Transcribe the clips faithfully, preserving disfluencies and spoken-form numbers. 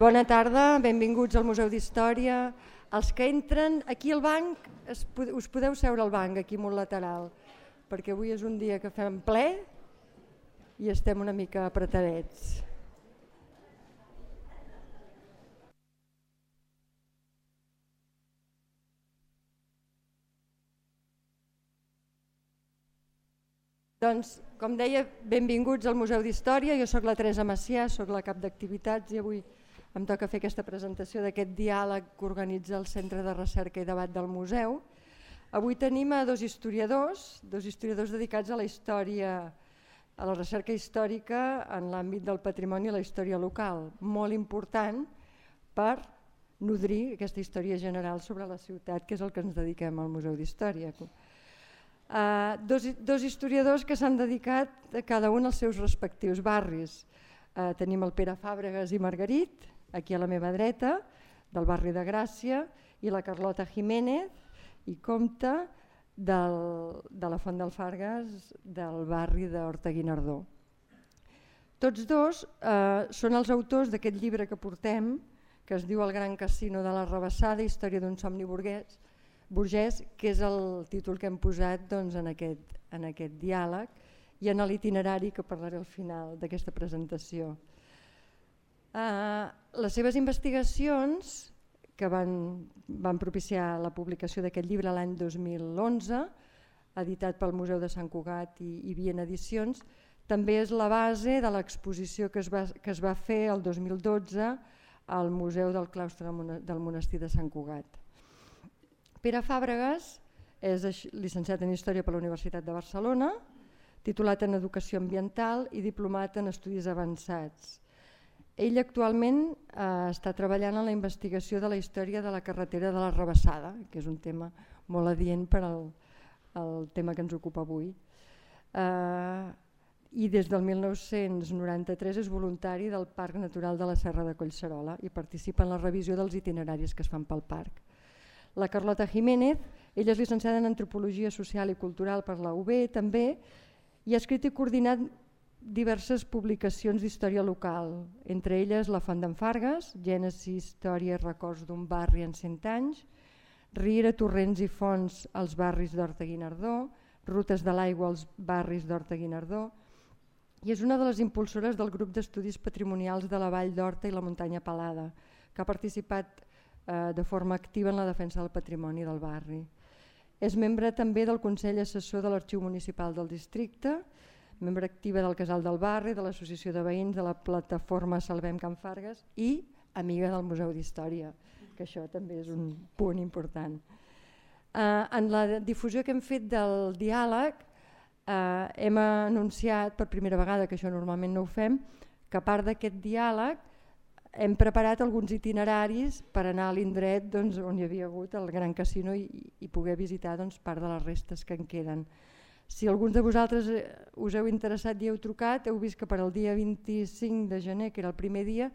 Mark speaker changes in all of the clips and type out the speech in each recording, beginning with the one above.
Speaker 1: Bona tarda, benvinguts al Museu d'Història. Els que entren aquí al banc, us podeu seure al banc, aquí molt lateral, perquè avui és un dia que fem ple i estem una mica apretadets. Doncs, com deia, benvinguts al Museu d'Història. Jo soc la Teresa Macià, soc la cap d'activitats i avui em toca fer aquesta presentació d'aquest diàleg que organitza el Centre de Recerca i Debat del Museu. Avui tenim a dos historiadors, dos historiadors dedicats a la història, a la recerca històrica en l'àmbit del patrimoni i la història local, molt important per nodrir aquesta història general sobre la ciutat, que és el que ens dediquem al Museu d'Història. Uh, dos, dos historiadors que s'han dedicat a cada un als seus respectius barris. Uh, tenim el Pere Fàbregas i Margarit, aquí a la meva dreta, del barri de Gràcia, i la Carlota Jiménez i Comte del, de la Font del Fargues del barri d'Horta-Guinardó. Tots dos uh, són els autors d'aquest llibre que portem, que es diu El gran casino de la Rabassada, història d'un somni burguès, burgès, que és el títol que hem posat doncs, en, aquest, en aquest diàleg i en l'itinerari que parlaré al final d'aquesta presentació. Uh, les seves investigacions, que van, van propiciar la publicació d'aquest llibre l'any dos mil onze, editat pel Museu de Sant Cugat i, i Viena Edicions, també és la base de l'exposició que, es va, que es va fer el dos mil dotze al Museu del Claustre del Monestir de Sant Cugat. Pere Fàbregas és llicenciat en Història per la Universitat de Barcelona, titulat en Educació Ambiental i diplomat en Estudis Avançats. Ell actualment eh, està treballant en la investigació de la història de la carretera de la Rabassada, que és un tema molt adient per al, al tema que ens ocupa avui. Eh, I des del mil nou-cents noranta-tres és voluntari del Parc Natural de la Serra de Collserola i participa en la revisió dels itineraris que es fan pel parc. La Carlota Jiménez, ella és llicenciada en Antropologia Social i Cultural per la U B també i ha escrit i coordinat diverses publicacions d'història local, entre elles La Font d'en Fargues, Gènesi, Història i Records d'un barri en cent anys, Riera, Torrents i Fonts als barris d'Horta-Guinardó, Rutes de l'aigua als barris d'Horta-Guinardó, i és una de les impulsores del grup d'estudis patrimonials de la Vall d'Horta i la Muntanya Pelada, que ha participat eh, de forma activa en la defensa del patrimoni del barri. És membre també del Consell Assessor de l'Arxiu Municipal del Districte, membre activa del Casal del Barri, de l'Associació de Veïns, de la plataforma Salvem Can Fargues i amiga del Museu d'Història, que això també és un punt important. Uh, en la difusió que hem fet del diàleg uh, hem anunciat per primera vegada, que això normalment no ho fem, que a part d'aquest diàleg hem preparat alguns itineraris per anar a l'indret doncs, on hi havia hagut el Gran Casino i, i poder visitar doncs, part de les restes que en queden. Si alguns de vosaltres us heu interessat i heu trucat, heu vist que per al dia vint-i-cinc de gener, que era el primer dia,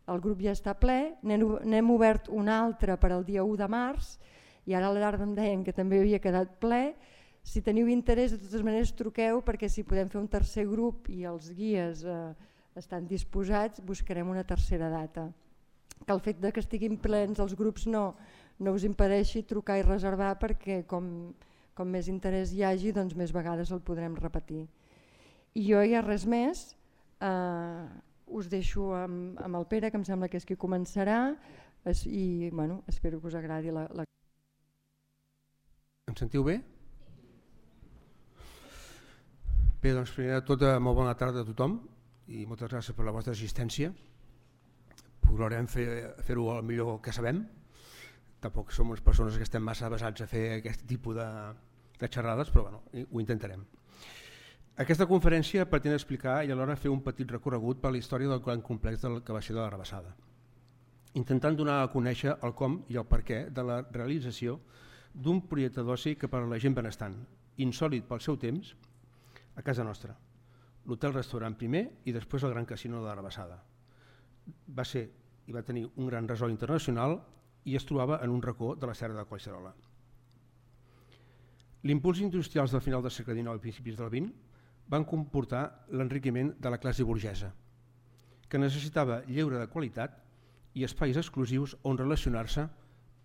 Speaker 1: el grup ja està ple, n'hem obert un altre per al dia u de març i ara a la tarda em deien que també havia quedat ple. Si teniu interès, de totes maneres truqueu perquè si podem fer un tercer grup i els guies eh, estan disposats, buscarem una tercera data. Que el fet de que estiguin plens els grups no, no us impedeixi trucar i reservar perquè com... com més interès hi hagi, doncs més vegades el podrem repetir. I jo ja res més, eh, us deixo amb, amb el Pere, que em sembla que és qui començarà, es, i bueno, espero que us agradi la... la...
Speaker 2: Em sentiu bé? Bé, doncs primer de tot, molt bona tarda a tothom i moltes gràcies per la vostra assistència. Procurarem fer-ho fer el millor que sabem. Tampoc som unes persones que estem massa basats a fer aquest tipus de, de xerrades, però bueno, ho intentarem. Aquesta conferència pretén explicar i alhora fer un petit recorregut per la història del gran complex del que va ser de la Rabassada, intentant donar a conèixer el com i el perquè de la realització d'un projecte d'oci que per a la gent benestant, insòlit pel seu temps, a casa nostra, l'hotel-restaurant primer i després el Gran Casino de la Rabassada. Va ser i va tenir un gran ressò internacional i es trobava en un racó de la Serra de Collserola. L'impuls industrials del final del segle dinou i principis del vint van comportar l'enriquiment de la classe burgesa, que necessitava lleure de qualitat i espais exclusius on relacionar-se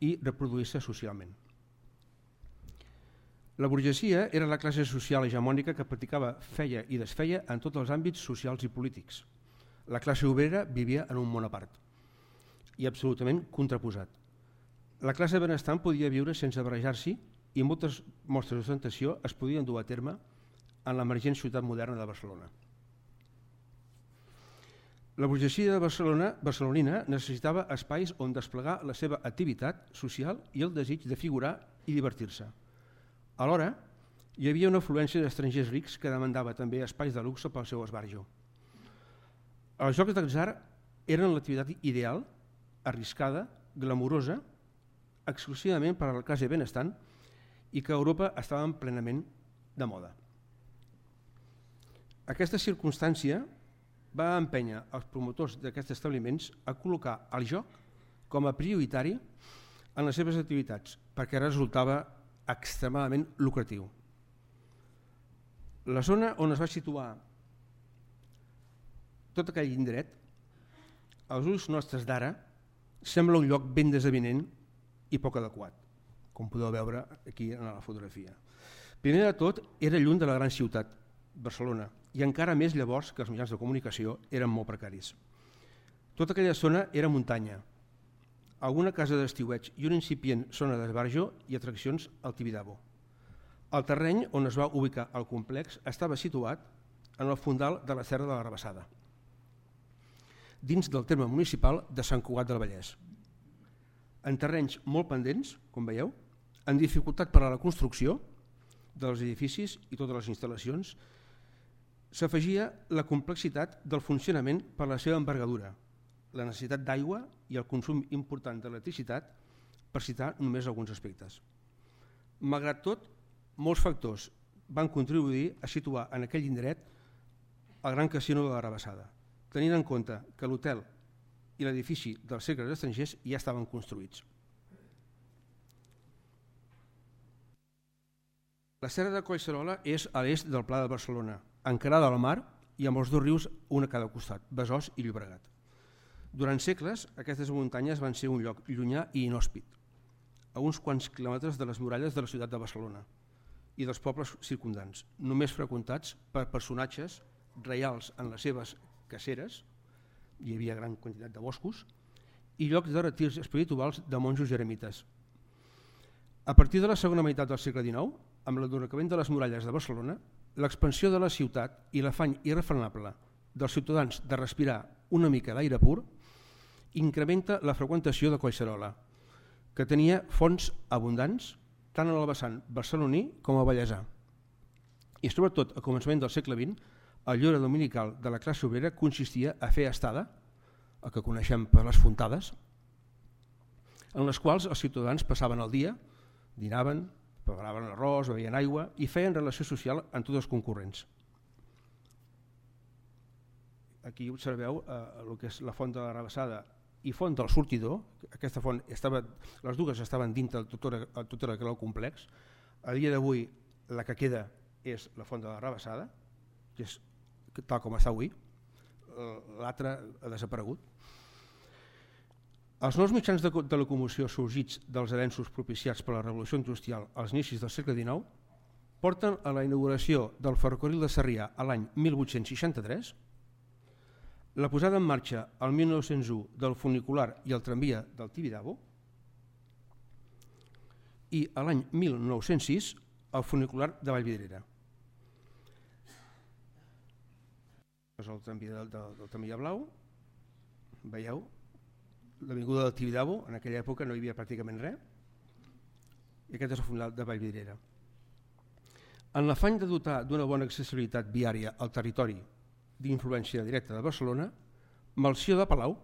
Speaker 2: i reproduir-se socialment. La burgesia era la classe social hegemònica que practicava, feia i desfeia en tots els àmbits socials i polítics. La classe obrera vivia en un món a part i absolutament contraposat. La classe benestant podia viure sense barrejar-s'hi i moltes mostres d'ostentació es podien dur a terme en l'emergent ciutat moderna de Barcelona. La burgesia de Barcelona, barcelonina necessitava espais on desplegar la seva activitat social i el desig de figurar i divertir-se. Alhora, hi havia una afluència d'estrangers rics que demandava també espais de luxe pel seu esbarjo. Els jocs d'atzar eren l'activitat ideal, arriscada, glamurosa, exclusivament per a la classe benestant i que a Europa estaven plenament de moda. Aquesta circumstància va empènyer els promotors d'aquests establiments a col·locar el joc com a prioritari en les seves activitats perquè resultava extremadament lucratiu. La zona on es va situar tot aquell indret, als ulls nostres d'ara, sembla un lloc ben desavinent i poc adequat, com podeu veure aquí en la fotografia. Primer de tot, era lluny de la gran ciutat, Barcelona, i encara més llavors que els mitjans de comunicació eren molt precaris. Tota aquella zona era muntanya, alguna casa d'estiueig i una incipient zona d'esbarjo i atraccions al Tibidabo. El terreny on es va ubicar el complex estava situat en el fondal de la Serra de la Rabassada, dins del terme municipal de Sant Cugat del Vallès. En terrenys molt pendents, com veieu, en dificultat per a la construcció dels edificis i totes les instal·lacions, s'afegia la complexitat del funcionament per la seva envergadura, la necessitat d'aigua i el consum important d'electricitat, per citar només alguns aspectes. Malgrat tot, molts factors van contribuir a situar en aquell indret el Gran Casino de la Rabassada, tenint en compte que l'hotel i l'edifici dels cercles estrangers ja estaven construïts. La Serra de Collserola és a l'est del Pla de Barcelona, encarada al mar i amb els dos rius un a cada costat, Besòs i Llobregat. Durant segles, aquestes muntanyes van ser un lloc llunyà i inhòspit, a uns quants quilòmetres de les muralles de la ciutat de Barcelona i dels pobles circumdants, només freqüentats per personatges reials en les seves caceres, hi havia gran quantitat de boscos, i llocs de retirs espirituals de monjos i eremites. A partir de la segona meitat del segle dinou, amb l'endurcament de les muralles de Barcelona, l'expansió de la ciutat i l'afany irrefrenable dels ciutadans de respirar una mica d'aire pur incrementa la freqüentació de Collserola, que tenia fonts abundants tant en el vessant barceloní com a vallesà. I sobretot a començament del segle vint, el lleure dominical de la classe obrera consistia a fer estada, el que coneixem per les fontades, en les quals els ciutadans passaven el dia, dinaven, preparaven arròs, bevien aigua i feien relació social amb tots els concurrents. Aquí observeu eh, el que és la font de la Rabassada i font del Sortidor. Aquesta font estava, les dues estaven dintre de tot el complex. A dia d'avui la que queda és la font de la Rabassada, que és tal com està avui, l'altre ha desaparegut. Els nous mitjans de, de locomoció sorgits dels avenços propiciats per la Revolució Industrial als inicis del segle dinou porten a la inauguració del ferrocarril de Sarrià a l'any mil vuit-cents seixanta-tres, la posada en marxa al mil nou-cents u del funicular i el tramvia del Tibidabo i a l'any mil nou-cents sis el funicular de Vallvidrera. És el tramvia del, del, del tramvia blau, veieu, l'avinguda del Tibidabo, en aquella època no hi havia pràcticament res, i aquest és el funicular de Vallvidrera. En l'afany de dotar d'una bona accessibilitat viària al territori d'influència directa de Barcelona, Melcior de Palau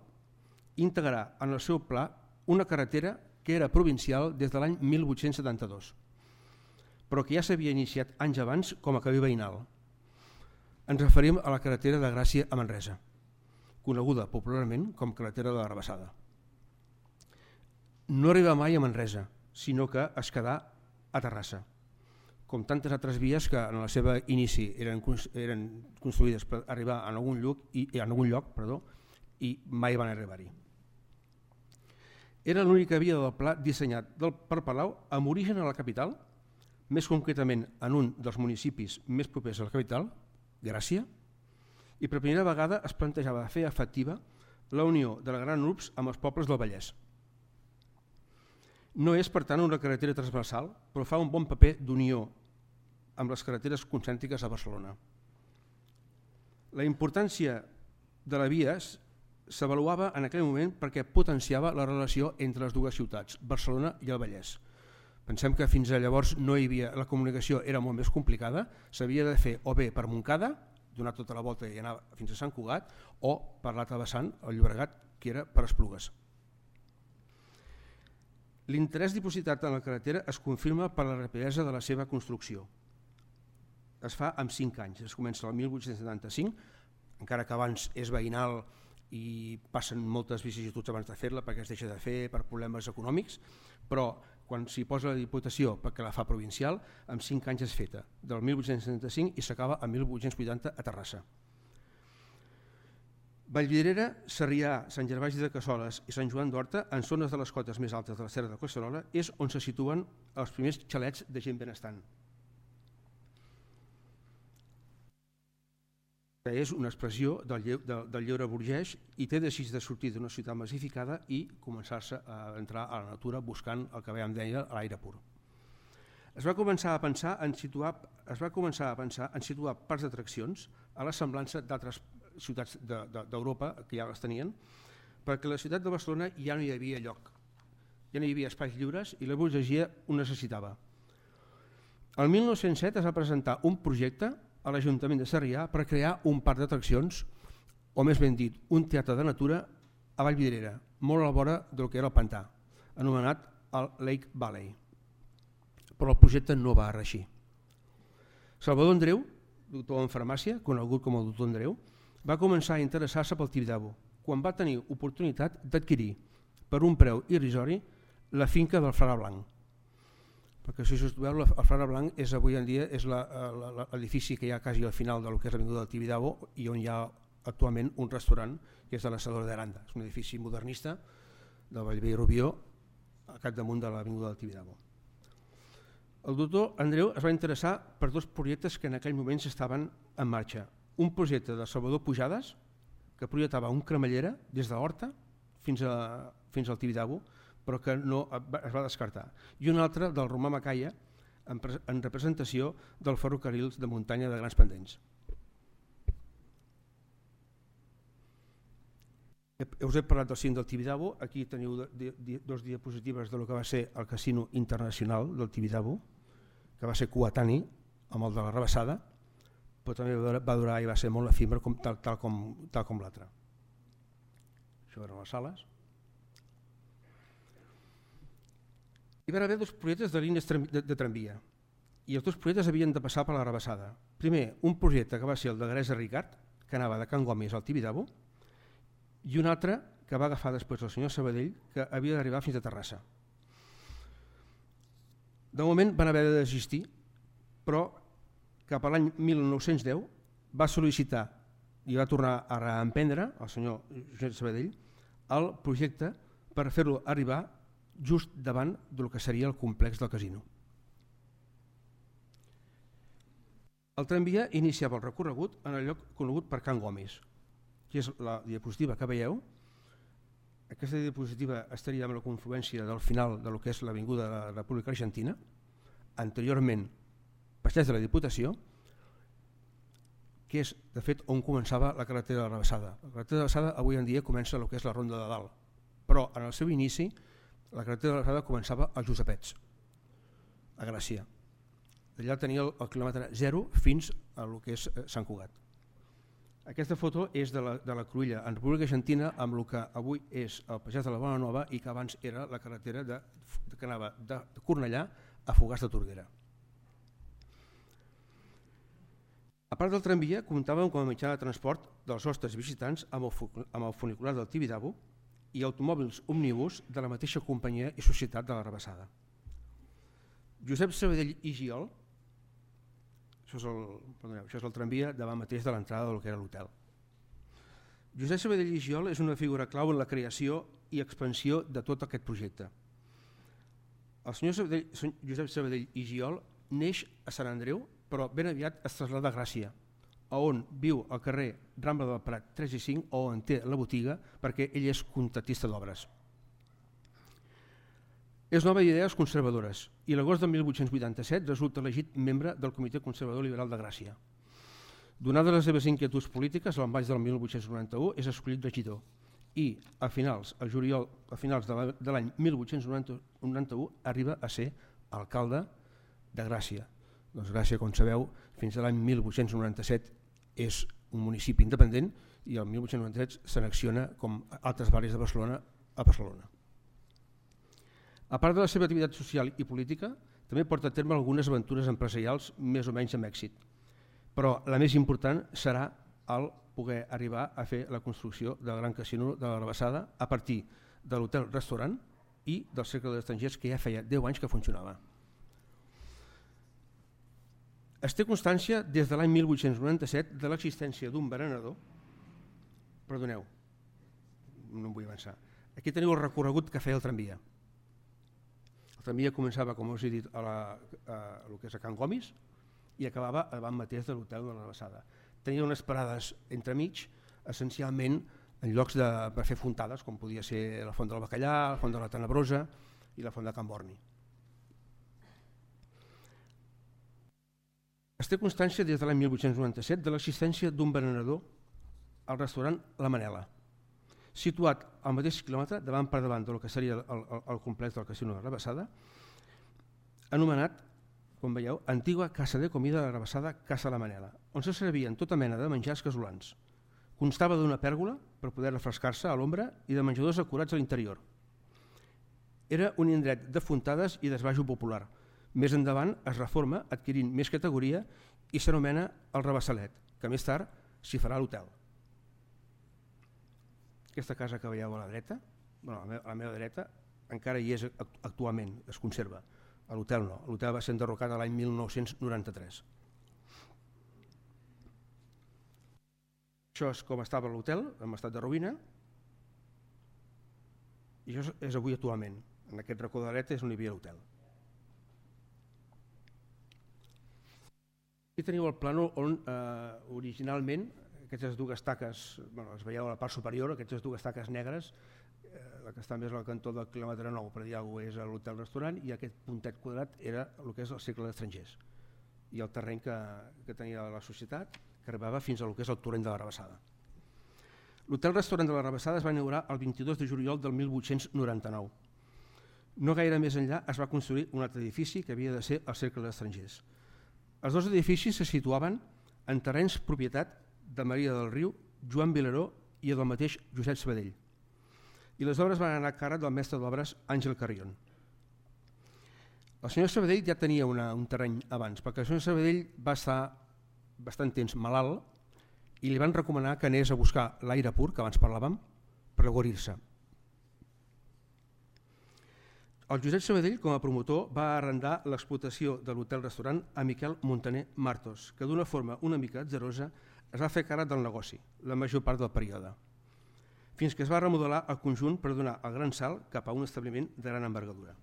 Speaker 2: integrarà en el seu pla una carretera que era provincial des de l'any mil vuit-cents setanta-dos, però que ja s'havia iniciat anys abans com a camí veïnal. Ens referim a la carretera de Gràcia a Manresa, coneguda popularment com carretera de la Rabassada. No arriba mai a Manresa, sinó que es quedà a Terrassa, com tantes altres vies que en el seu inici eren, eren construïdes per arribar en algun lloc, i, en algun lloc perdó, i mai van arribar-hi. Era l'única via del pla dissenyat per Palau amb origen a la capital, més concretament en un dels municipis més propers a la capital, Gràcia, i per primera vegada es plantejava fer efectiva la unió de la Gran Urbs amb els pobles del Vallès. No és, per tant, una carretera transversal, però fa un bon paper d'unió amb les carreteres concèntriques a Barcelona. La importància de la via s'avaluava en aquell moment perquè potenciava la relació entre les dues ciutats, Barcelona i el Vallès. Pensem que fins a llavors no hi havia, la comunicació era molt més complicada, s'havia de fer o bé per Montcada, donar tota la volta i anar fins a Sant Cugat, o per l'altre vessant, el Llobregat, que era per Esplugues. L'interès dipositat en la carretera es confirma per la rapidesa de la seva construcció. Es fa en cinc anys, es comença el mil vuit-cents setanta-cinc, encara que abans és veïnal i passen moltes vicissituds abans de fer-la perquè es deixa de fer per problemes econòmics, però quan s'hi posa la Diputació perquè la fa provincial, en cinc anys és feta, del mil vuit-cents setanta-cinc i s'acaba en mil vuit-cents vuitanta a Terrassa. Vallvidrera, Sarrià, Sant Gervasi de Cassoles i Sant Joan d'Horta, en zones de les cotes més altes de la Serra de Collserola, és on se situen els primers xalets de gent benestant. Que és una expressió del, lleu, del, del lleure burgès i té desig de sortir d'una ciutat massificada i començar-se a entrar a la natura buscant el que veiem deia a l'aire pur. Es va començar a pensar en situar, es va començar a pensar en situar parcs d'atraccions a la semblança d'altres ciutats d'Europa de, de, que ja les tenien, perquè a la ciutat de Barcelona ja no hi havia lloc, ja no hi havia espais lliures i la burgesia ho necessitava. El mil nou-cents set es va presentar un projecte a l'Ajuntament de Sarrià per crear un parc d'atraccions, o més ben dit, un teatre de natura a Vallvidrera, molt a la vora del que era el pantà, anomenat el Lake Valley. Però el projecte no va reeixir. Salvador Andreu, doctor en farmàcia, conegut com el doctor Andreu, va començar a interessar-se pel Tibidabo, quan va tenir oportunitat d'adquirir, per un preu irrisori, la finca del Frare Blanc. Perquè si us veu, el Frare Blanc és avui en dia és l'edifici que hi ha quasi al final del que és l'avinguda del Tibidabo i on hi ha actualment un restaurant que és de l'Assador d'Aranda. És un edifici modernista de Bellver i Rubió al capdamunt de l'avinguda del Tibidabo. El doctor Andreu es va interessar per dos projectes que en aquell moment estaven en marxa. Un projecte de Salvador Pujades que projectava un cremallera des de l'Horta fins, a, fins al Tibidabo, però que no es va descartar, i un altre del Romà Macaya en, en representació del ferrocarril de muntanya de grans pendents. Us he parlat del cim del Tibidabo, aquí teniu dos diapositives del que va ser el Casino Internacional del Tibidabo, que va ser coetani amb el de la Rabassada, però també va durar i va ser molt efímer com, tal, tal com, tal com l'altre. Això eren les sales. Hi va haver dos projectes de línies de, de tramvia i els dos projectes havien de passar per la Rabassada. Primer, un projecte que va ser el de Garesa Ricard, que anava de Can Gomis al Tibidabo, i un altre que va agafar després el senyor Sabadell, que havia d'arribar fins a Terrassa. De moment van haver de desistir, però cap a l'any mil nou-cents deu va sol·licitar i va tornar a reemprendre el senyor Josep Sabadell el projecte per fer-lo arribar just davant del que seria el complex del casino. El tramvia iniciava el recorregut en el lloc conegut per Can Gomis, que és la diapositiva que veieu. Aquesta diapositiva estaria amb la confluència del final del que és l'avinguda de la República Argentina, anteriorment Passeig de la Diputació, que és de fet on començava la carretera de la Rabassada. La carretera de la Rabassada avui en dia comença el que és la Ronda de Dalt, però en el seu inici la carretera de la Rabassada començava als Josepets, a Gràcia. D'allà tenia el, el quilòmetre zero fins a el que és Sant Cugat. Aquesta foto és de la, de la Cruïlla en República Argentina amb el que avui és el Passeig de la Bona Nova i que abans era la carretera de, que anava de Cornellà a Fogars de Tordera. A part del tramvia, comptàvem com a mitjà de transport dels nostres visitants amb el, amb el funicular del Tibidabo i automòbils òmnibus de la mateixa companyia i societat de la Rabassada. Josep Sabadell i Giol, això és el, perdoneu, això és el tramvia davant mateix de l'entrada del que era l'hotel. Josep Sabadell i Giol és una figura clau en la creació i expansió de tot aquest projecte. El senyor Sabadell, Josep Sabadell i Giol neix a Sant Andreu, però ben aviat es trasllada a Gràcia, on viu al carrer Rambla del Prat tres i cinc, on té la botiga perquè ell és contractista d'obres. És nova d'idees conservadores i l'agost de mil vuit-cents vuitanta-set resulta elegit membre del Comitè Conservador Liberal de Gràcia. Donades les seves inquietuds polítiques, l'any maig del mil vuit-cents noranta-u és escollit regidor i a finals, a juliol, a finals de l'any mil vuit-cents noranta-u arriba a ser alcalde de Gràcia. Doncs Gràcia, com sabeu, fins a l'any mil vuit-cents noranta-set és un municipi independent i el mil vuit-cents noranta-set s'annexiona, com altres barris de Barcelona, a Barcelona. A part de la seva activitat social i política, també porta a terme algunes aventures empresarials més o menys amb èxit. Però la més important serà el poder arribar a fer la construcció del Gran Casino de la Rabassada a partir de l'hotel-restaurant i del Cercle d'Estrangers, que ja feia deu anys que funcionava. Es té constància des de l'any mil vuit-cents noranta-set de l'existència d'un berenador. Perdoneu, no em vull avançar. Aquí teniu el recorregut que feia el tramvia. El tramvia començava, com us he dit, a, la, a, a lo que és a Can Gomis i acabava davant mateix de l'hotel de la Rabassada. Tenia unes parades entremig, essencialment en llocs de, per fer fontades, com podia ser la Font del Bacallà, la Font de la Tenebrosa i la Font de Can Borni. Es té constància des de l'any mil vuit-cents noranta-set de l'existència d'un berenador al restaurant La Manela, situat al mateix quilòmetre davant per davant del que seria el, el, el complex del Casino de la Rabassada, anomenat, com veieu, antiga casa de comida de la Rabassada, Casa La Manela, on se servien tota mena de menjars casolans. Constava d'una pèrgola per poder refrescar-se a l'ombra i de menjadors acurats a l'interior. Era un indret de fontades i d'esbajo popular. Més endavant es reforma adquirint més categoria i s'anomena el Rabassalet, que més tard s'hi farà l'hotel. Aquesta casa que veieu a la dreta, bueno, a la meva dreta, encara hi és actualment, es conserva. A l'hotel no, l'hotel va ser enderrocat l'any mil nou-cents noranta-tres. Això és com estava l'hotel, en estat de ruïna, i això és avui actualment. En aquest racó de la dreta és on hi havia l'hotel. Aquí teniu el plànol on eh, originalment aquestes dues taques, bueno, les veieu a la part superior, aquestes dues taques negres, eh, la que està més al cantó del quilòmetre nou, per dir alguna cosa, és l'hotel-restaurant, i aquest puntet quadrat era el que és el Cercle d'Estrangers i el terreny que, que tenia la societat, que arribava fins al que és el torrent de la Rabassada. L'hotel-restaurant de la Rabassada es va inaugurar el vint-i-dos de juliol del mil vuit-cents noranta-nou. No gaire més enllà es va construir un altre edifici que havia de ser el Cercle d'Estrangers. Els dos edificis se situaven en terrenys propietat de Maria del Riu, Joan Vilaró i del mateix Josep Sabadell. I les obres van anar a càrrec del mestre d'obres Àngel Carrion. El senyor Sabadell ja tenia una, un terreny abans, perquè el senyor Sabadell va estar bastant temps malalt i li van recomanar que anés a buscar l'aire pur, que abans parlàvem, per guarir-se. El Josep Sabadell, com a promotor, va arrendar l'explotació de l'hotel-restaurant a Miquel Montaner Martos, que d'una forma una mica atzerosa es va fer càrrec del negoci, la major part del període, fins que es va remodelar el conjunt per donar el gran salt cap a un establiment de gran envergadura.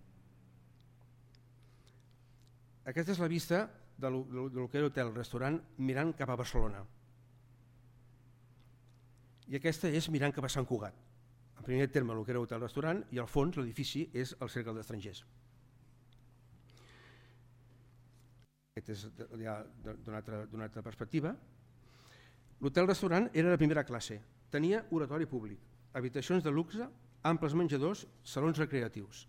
Speaker 2: Aquesta és la vista de lo que era l'hotel-restaurant mirant cap a Barcelona. I aquesta és mirant cap a Sant Cugat. En primer terme, el que era l'hotel-restaurant, i al fons l'edifici és el Cercle d'Estrangers. Aquest és ja d'una altra, d'una altra perspectiva. L'hotel-restaurant era de primera classe. Tenia oratori públic, habitacions de luxe, amples menjadors, salons recreatius.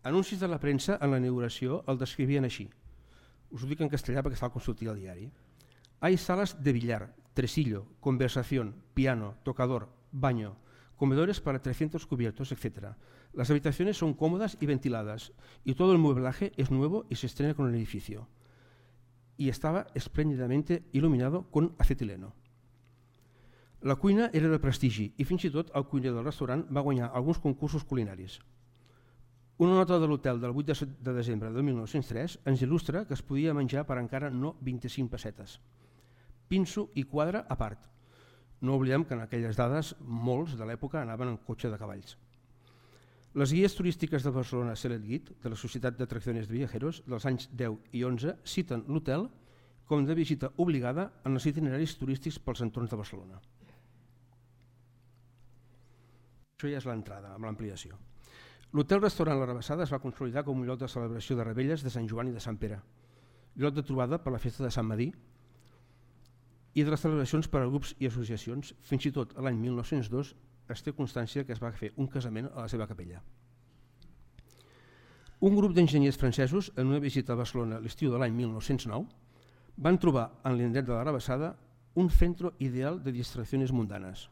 Speaker 2: Anuncis de la premsa en la inauguració el descrivien així. Us ho dic en castellà perquè està al consultiu al diari. Hay salas de billar, tresillo, conversación, piano, tocador, baño, comedores para trescientos cubiertos, etcétera. Las habitaciones son cómodas y ventiladas y todo el mueblaje es nuevo y se estrena con el edificio. Y estaba espléndidamente iluminado con acetileno. La cuina era de prestigi i fins i tot el cuiner del restaurant va guanyar alguns concursos culinaris. Una nota de l'hotel del vuit de desembre de mil nou-cents tres ens il·lustra que es podia menjar per encara no vint-i-cinc pessetes. Pinso i quadre a part. No oblidem que en aquelles dades molts de l'època anaven en cotxe de cavalls. Les guies turístiques de Barcelona Select Guide, de la Societat d'Atracciones de Viajeros, dels anys deu i onze, citen l'hotel com de visita obligada en els itineraris turístics pels entorns de Barcelona. Això ja és l'entrada, amb l'ampliació. L'hotel-restaurant La Rabassada es va consolidar com un lloc de celebració de revetlles de Sant Joan i de Sant Pere, lloc de trobada per la festa de Sant Madí i de les celebracions per a grups i associacions. Fins i tot l'any mil nou-cents dos es té constància que es va fer un casament a la seva capella. Un grup d'enginyers francesos, en una visita a Barcelona l'estiu de l'any mil nou-cents nou, van trobar en l'indret de La Rabassada un centre ideal de distraccions mundanes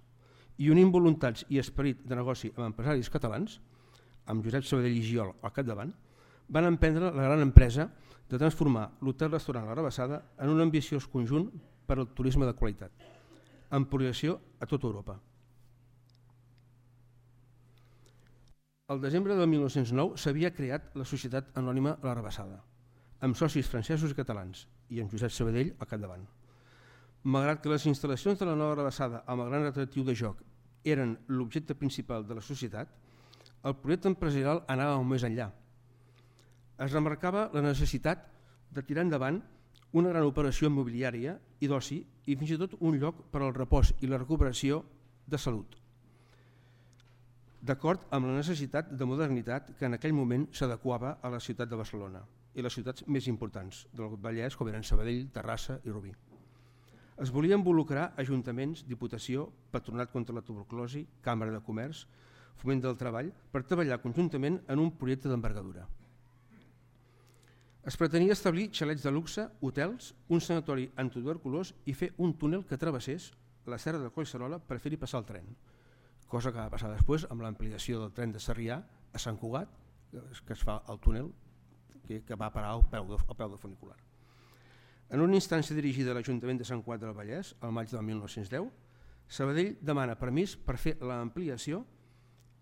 Speaker 2: i un involuntats i esperit de negoci amb empresaris catalans, amb Josep Sabadell i Giol al capdavant, van emprendre la gran empresa de transformar l'hotel-restaurant La Rabassada en un ambiciós conjunt per al turisme de qualitat, amb projecció a tota Europa. El desembre de mil nou-cents nou s'havia creat la Societat Anònima La Rabassada, amb socis francesos i catalans, i amb Josep Sabadell al capdavant. Malgrat que les instal·lacions de la nova Rabassada amb el gran atractiu de joc eren l'objecte principal de la societat, el projecte empresarial anava molt més enllà. Es remarcava la necessitat de tirar endavant una gran operació immobiliària i d'oci i fins i tot un lloc per al repòs i la recuperació de salut, d'acord amb la necessitat de modernitat que en aquell moment s'adequava a la ciutat de Barcelona i les ciutats més importants del Vallès, com eren Sabadell, Terrassa i Rubí. Es volia involucrar ajuntaments, diputació, patronat contra la tuberculosi, càmera de comerç, foment del treball, per treballar conjuntament en un projecte d'envergadura. Es pretenia establir xalets de luxe, hotels, un sanatori antituberculós i fer un túnel que travessés la serra de Collserola per fer-hi passar el tren, cosa que va passar després amb l'ampliació del tren de Sarrià a Sant Cugat, que es fa el túnel que va parar al peu de, al peu de funicular. En una instància dirigida a l'Ajuntament de Sant Cugat del Vallès, al maig del mil nou-cents deu, Sabadell demana permís per fer l'ampliació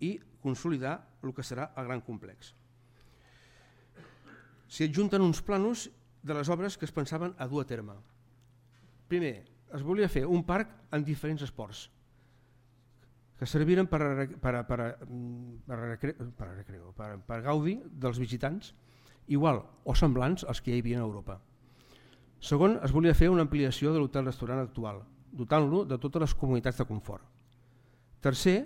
Speaker 2: i consolidar el que serà el gran complex. S'hi adjunten uns plànols de les obres que es pensaven a dur a terme. Primer, es volia fer un parc amb diferents esports que serviren per, per, per, per, per, per, per gaudi dels visitants igual o semblants als que hi havia a Europa. Segon, es volia fer una ampliació de l'hotel-restaurant actual, dotant-lo de totes les comunitats de confort. Tercer,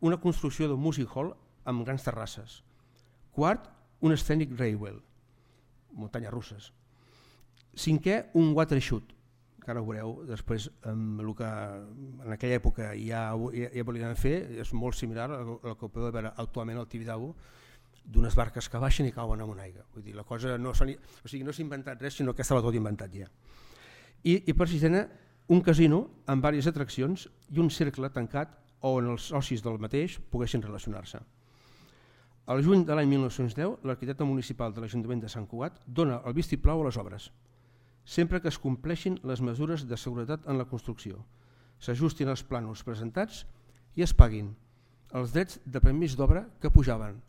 Speaker 2: una construcció d'un music hall amb grans terrasses. Quart, un scenic railway, muntanyes russes. Cinquè, un water shoot, que ara ho veureu després amb el que en aquella època ja, ja, ja volien fer, és molt similar al que podeu veure actualment al Tibidabo, d'unes barques que baixen i cauen en una aigua. Vull dir, la cosa no s'ha o sigui, no s'ha inventat res, sinó que estava tot inventat ja. I, i per sisena, un casino amb diverses atraccions i un cercle tancat on els socis del mateix poguessin relacionar-se. Al juny de l'any mil nou-cents deu, l'arquitecte municipal de l'Ajuntament de Sant Cugat dona el vistiplau a les obres, sempre que es compleixin les mesures de seguretat en la construcció, s'ajustin els plànols presentats i es paguin els drets de permís d'obra que pujaven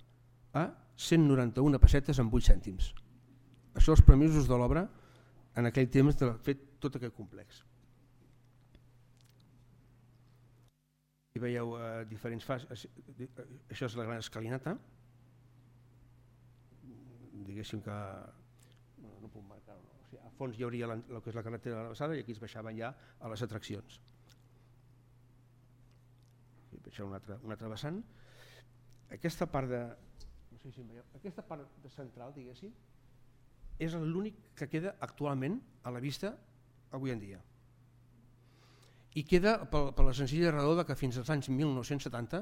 Speaker 2: a cent noranta-una pessetes amb vuit cèntims. Això els permisos de l'obra en aquell temps de fet tot aquest complex. Hi veieu eh, diferents fases. Això és la gran escalinata. Diguéssim que no, no puc marcar, no. O sigui, a fons hi hauria la, el que és la carretera de la Rabassada i aquí es baixaven ja a les atraccions. I baixar un altre, un altre vessant. Aquesta part de no sé si em veieu, aquesta part de central, diguéssim, és l'únic que queda actualment a la vista avui en dia. I queda per, per la senzilla raó que fins als anys mil nou-cents setanta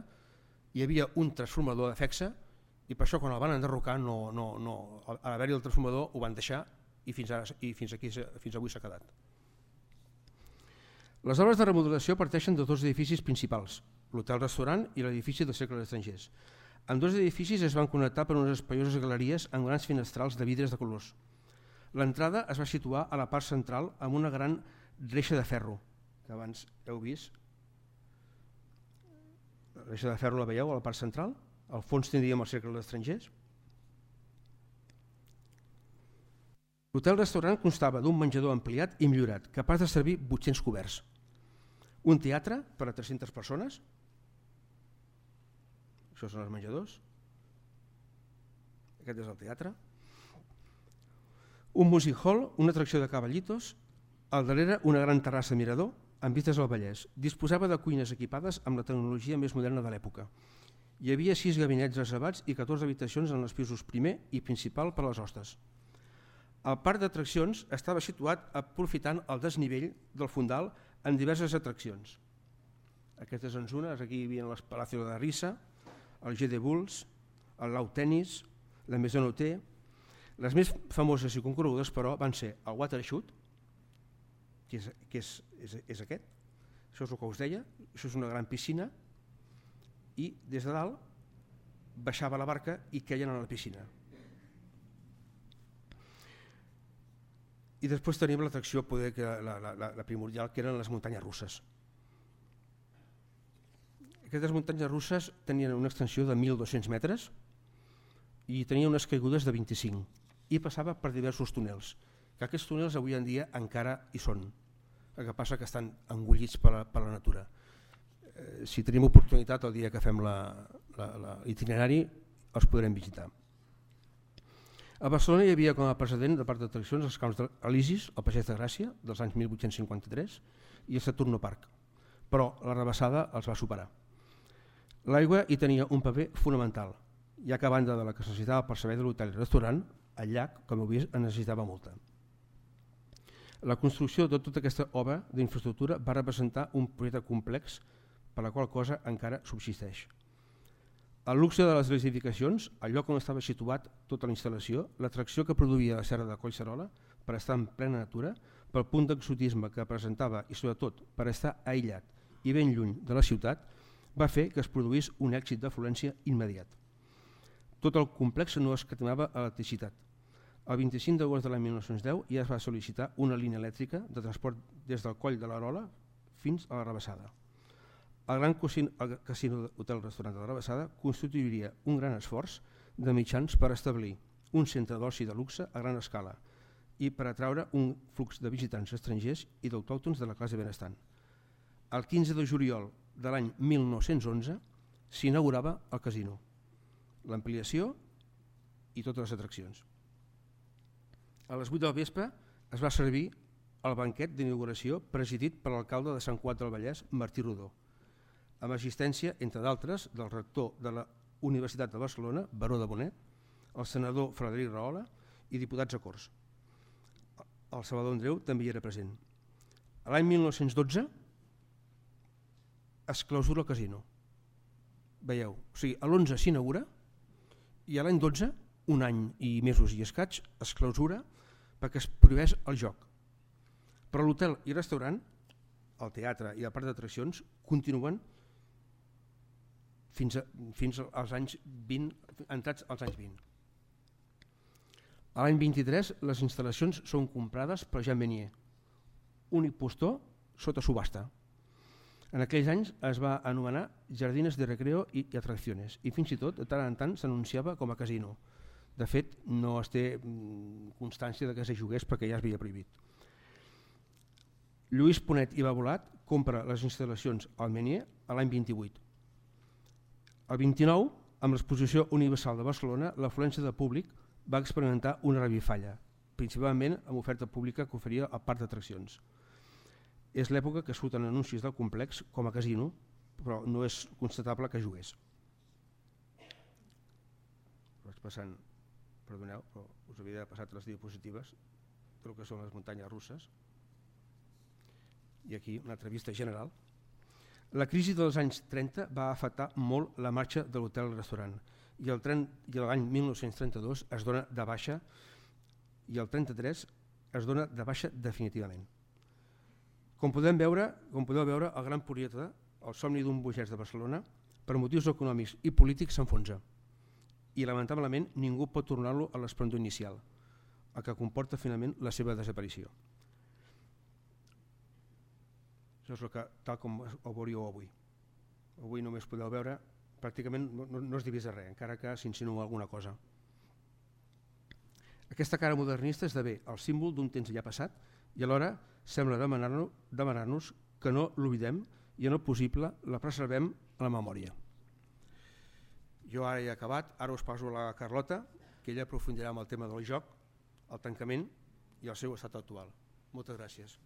Speaker 2: hi havia un transformador de Fexa i per això quan el van enderrocar, no, no, no, a l'haver-hi el transformador ho van deixar i fins, ara, i fins, aquí, fins avui s'ha quedat. Les obres de remodelació parteixen de dos edificis principals, l'hotel-restaurant i l'edifici del Cercle d'Estrangers. En dos edificis es van connectar per unes espaioses galeries amb grans finestrals de vidres de colors. L'entrada es va situar a la part central amb una gran reixa de ferro, que abans heu vist. La reixa de ferro la veieu a la part central? Al fons tindríem el Cercle d'Estrangers. L'hotel-restaurant constava d'un menjador ampliat i millorat, capaç de servir vuit-cents coberts. un teatre per a tres-centes persones, això són els menjadors, aquest és el teatre, un music hall, una atracció de cavallitos, al darrere una gran terrassa mirador amb vistes al Vallès. Disposava de cuines equipades amb la tecnologia més moderna de l'època. Hi havia sis gabinets reservats i catorze habitacions en els pisos primer i principal per a les hostes. El parc d'atraccions estava situat aprofitant el desnivell del fondal en diverses atraccions. Aquestes en zones, aquí hi havia el Palacio de Risa, el G de Bulls, el Lau Tennis, la Maison Hotel. Les més famoses i concorregudes, però, van ser el Watershoot, que, és, que és, és, és aquest, això és el que us deia, això és una gran piscina, i des de dalt baixava la barca i queien a la piscina. I després tenim l'atracció poder que la, la, la primordial, que eren les muntanyes russes. Aquestes muntanyes russes tenien una extensió de mil dos-cents metres i tenien unes caigudes de vint-i-cinc i passava per diversos túnels, que aquests túnels avui en dia encara hi són, el que passa que estan engullits per la, per la natura. Eh, si tenim oportunitat el dia que fem l'itinerari els podrem visitar. A Barcelona hi havia com a precedent de parc d'atraccions els camps d'Elisis, el Passeig de Gràcia, dels anys mil vuit-cents cinquanta-tres, i el Saturno Park, però la rebassada els va superar. L'aigua hi tenia un paper fonamental, ja que a banda de la que es necessitava per servei de l'hotel i restaurant, el llac, com heu vist, en necessitava molta. La construcció de tota aquesta obra d'infraestructura va representar un projecte complex per la qual cosa encara subsisteix. El luxe de les edificacions, el lloc on estava situat tota la instal·lació, l'atracció que produïa la serra de Collserola per estar en plena natura, pel punt d'exotisme que presentava i sobretot per estar aïllat i ben lluny de la ciutat, va fer que es produís un èxit d'afluència immediat. Tot el complex no escatimava electricitat. El vint-i-cinc d'agost de l'any mil nou-cents deu ja es va sol·licitar una línia elèctrica de transport des del Coll de l'Arola fins a la Rabassada. El gran casino hotel-restaurant de la Rabassada constituiria un gran esforç de mitjans per establir un centre d'oci de luxe a gran escala i per atraure un flux de visitants estrangers i d'autòctons de la classe benestant. El quinze de juliol de l'any mil nou-cents onze s'inaugurava el casino, l'ampliació i totes les atraccions. A les vuit del vespre es va servir el banquet d'inauguració presidit per l'alcalde de Sant Cugat del Vallès, Martí Rodó, amb assistència, entre d'altres, del rector de la Universitat de Barcelona, Baró de Bonet, el senador Frederic Rahola i diputats a Corts. El Salvador Andreu també hi era present. L'any mil nou-cents dotze es clausura el casino. Veieu, o sigui, a l'onze s'inaugura i a l'any dotze, un any i mesos i escaig, es clausura perquè es prohibeix el joc. Però l'hotel i restaurant, el teatre i el parc d'atraccions continuen fins, a, fins als anys vint, entrats als anys vint. A l'any vint-i-tres les instal·lacions són comprades per Jean Menier, únic postor sota subhasta. En aquells anys es va anomenar Jardines de Recreo i Atracciones i fins i tot de tant en tant s'anunciava com a casino. De fet, no es té constància de que se jugués perquè ja es havia prohibit. Lluís Ponet i Babolat compra les instal·lacions al Menier a l'any vint-i-vuit. El vint-i-nou, amb l'exposició universal de Barcelona, l'afluència de públic va experimentar una revifalla, principalment amb oferta pública que oferia el parc d'atraccions. És l'època que surten anuncis del complex com a casino, però no és constatable que jugués. Vaig passant, perdoneu, però us havia passat les diapositives del que són les muntanyes russes. I aquí una altra vista general. La crisi dels anys trenta va afectar molt la marxa de l'hotel i restaurant i l'any mil nou-cents trenta-dos es dona de baixa i el trenta-tres es dona de baixa definitivament. Com podem veure, com podeu veure, el gran projecte, el somni d'un burgès de Barcelona, per motius econòmics i polítics s'enfonsa i lamentablement ningú pot tornar-lo a l'esplendor inicial, el que comporta finalment la seva desaparició. Això és el que, tal com ho veuríeu avui. Avui només podeu veure, pràcticament no, no, no es divisa res, encara que s'insinua alguna cosa. Aquesta cara modernista esdevé el símbol d'un temps ja passat i alhora sembla demanar-nos demanar-nos que no l'oblidem i en el possible la preservem a la memòria. Jo ara he acabat, ara us passo a la Carlota, que ella aprofundirà en el tema del joc, el tancament i el seu estat actual. Moltes gràcies.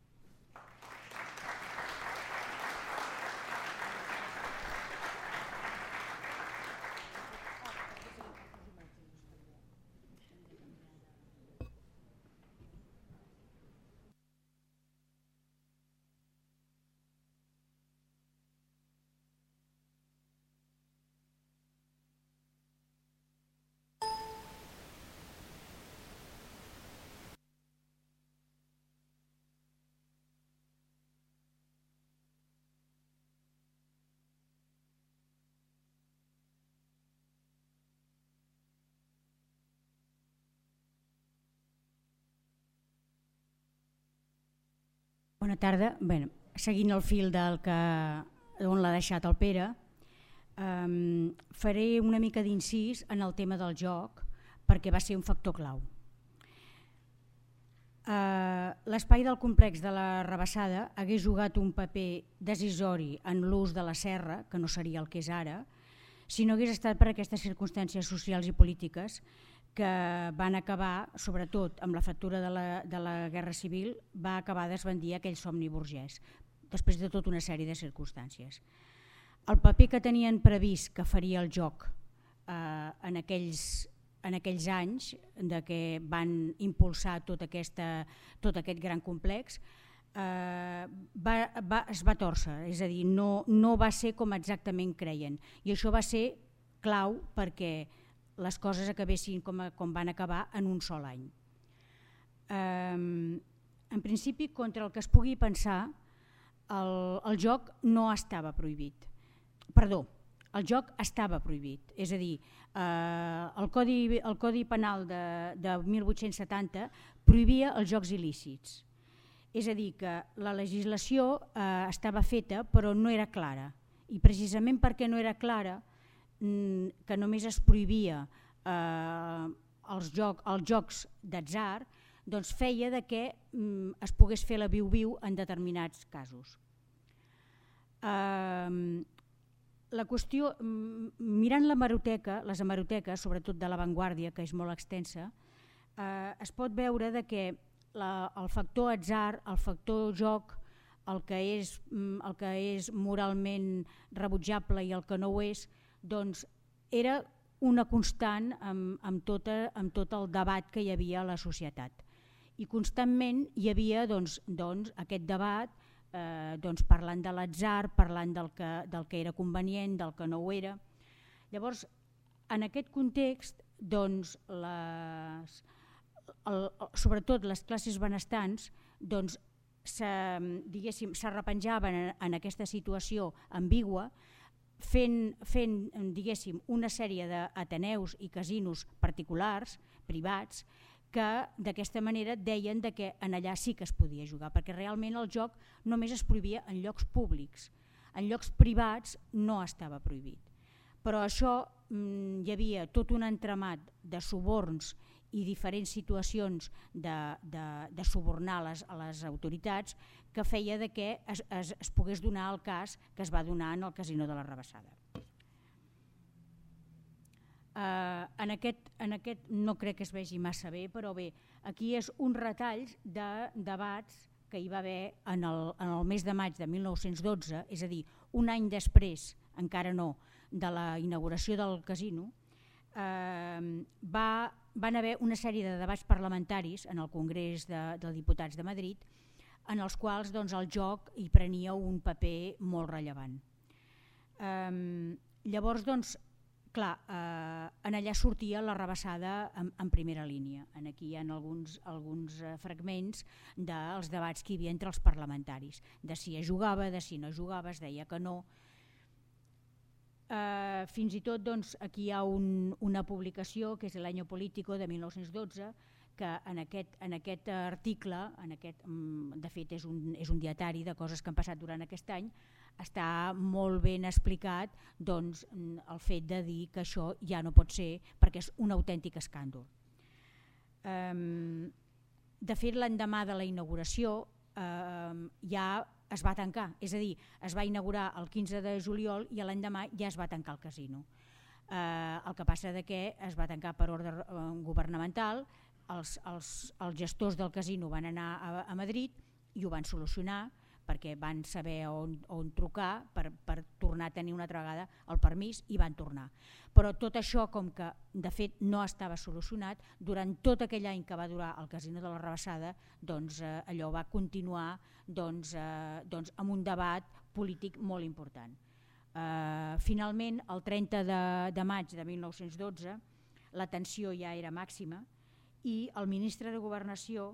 Speaker 3: Bona tarda. Bé, seguint el fil del que, on l'ha deixat el Pere, um, faré una mica d'incís en el tema del joc perquè va ser un factor clau. Uh, L'espai del complex de la Rabassada hagués jugat un paper decisori en l'ús de la serra, que no seria el que és ara, si no hagués estat per aquestes circumstàncies socials i polítiques que van acabar, sobretot amb la factura de la, de la Guerra Civil, va acabar d'esbandir aquell somni burgès, després de tota una sèrie de circumstàncies. El paper que tenien previst que faria el joc eh, en, aquells, en aquells anys de que van impulsar tot, aquesta, tot aquest gran complex eh, va, va, es va tòrcer, és a dir, no, no va ser com exactament creien, i això va ser clau perquè les coses acabessin com, a, com van acabar en un sol any. Um, en principi, contra el que es pugui pensar, el, el joc no estava prohibit. Perdó, el joc estava prohibit. És a dir, eh, el, codi, el Codi Penal de, de mil vuit-cents setanta prohibia els jocs il·lícits. És a dir, que la legislació eh, estava feta però no era clara. I precisament perquè no era clara, que només es prohibia eh, els, joc, els jocs d'atzar, doncs feia de que mm, es pogués fer la viu-viu en determinats casos. Eh, la qüestió, mirant l'hemeroteca, les hemeroteques, sobretot de l'avantguàrdia, que és molt extensa, eh, es pot veure de que la, el factor atzar, el factor joc, el que és, el que és moralment rebutjable i el que no ho és, doncs era una constant amb, amb, tota, amb tot el debat que hi havia a la societat. I constantment hi havia doncs, doncs, aquest debat eh, doncs, parlant de l'atzar, parlant del que, del que era convenient, del que no ho era. Llavors, en aquest context, doncs, les, el, sobretot les classes benestants, doncs, s'arrepenjaven en, en aquesta situació ambigua, fent, fent diguéssim, una sèrie d'ateneus i casinos particulars, privats, que d'aquesta manera deien de que en allà sí que es podia jugar, perquè realment el joc només es prohibia en llocs públics, en llocs privats no estava prohibit. Però això mm, hi havia tot un entramat de suborns i diferents situacions de, de, de subornar les, a les autoritats que feia de que es, es, es pogués donar el cas que es va donar en el casino de la Rabassada. Uh, en, aquest, en aquest no crec que es vegi massa bé, però bé, aquí és un retall de debats que hi va haver en el, en el mes de maig de mil nou-cents dotze, és a dir, un any després, encara no, de la inauguració del casino, eh, va, van haver una sèrie de debats parlamentaris en el Congrés de, de Diputats de Madrid, en els quals doncs, el joc hi prenia un paper molt rellevant. Eh, llavors, doncs, clar, eh, en allà sortia la Rabassada en, en primera línia. En aquí hi ha alguns, alguns fragments dels debats que hi havia entre els parlamentaris, de si es jugava, de si no jugava, es deia que no. Eh, fins i tot doncs, aquí hi ha un, una publicació que és l'Año Político de mil nou-cents dotze, que en aquest, en aquest article, en aquest, de fet és un, és un dietari de coses que han passat durant aquest any, està molt ben explicat doncs, el fet de dir que això ja no pot ser perquè és un autèntic escàndol. Eh, de fet, l'endemà de la inauguració eh, ja es va tancar, és a dir, es va inaugurar el quinze de juliol i l'endemà ja es va tancar el casino. Eh, el que passa de que es va tancar per ordre eh, governamental, els, els, els gestors del casino van anar a, a Madrid i ho van solucionar perquè van saber on, on trucar per, per tornar a tenir una altra vegada el permís i van tornar. Però tot això, com que de fet no estava solucionat, durant tot aquell any que va durar el casino de la Rabassada, doncs eh, allò va continuar doncs, eh, doncs, amb un debat polític molt important. Eh, finalment, el trenta de maig de mil nou-cents dotze, la tensió ja era màxima i el ministre de Governació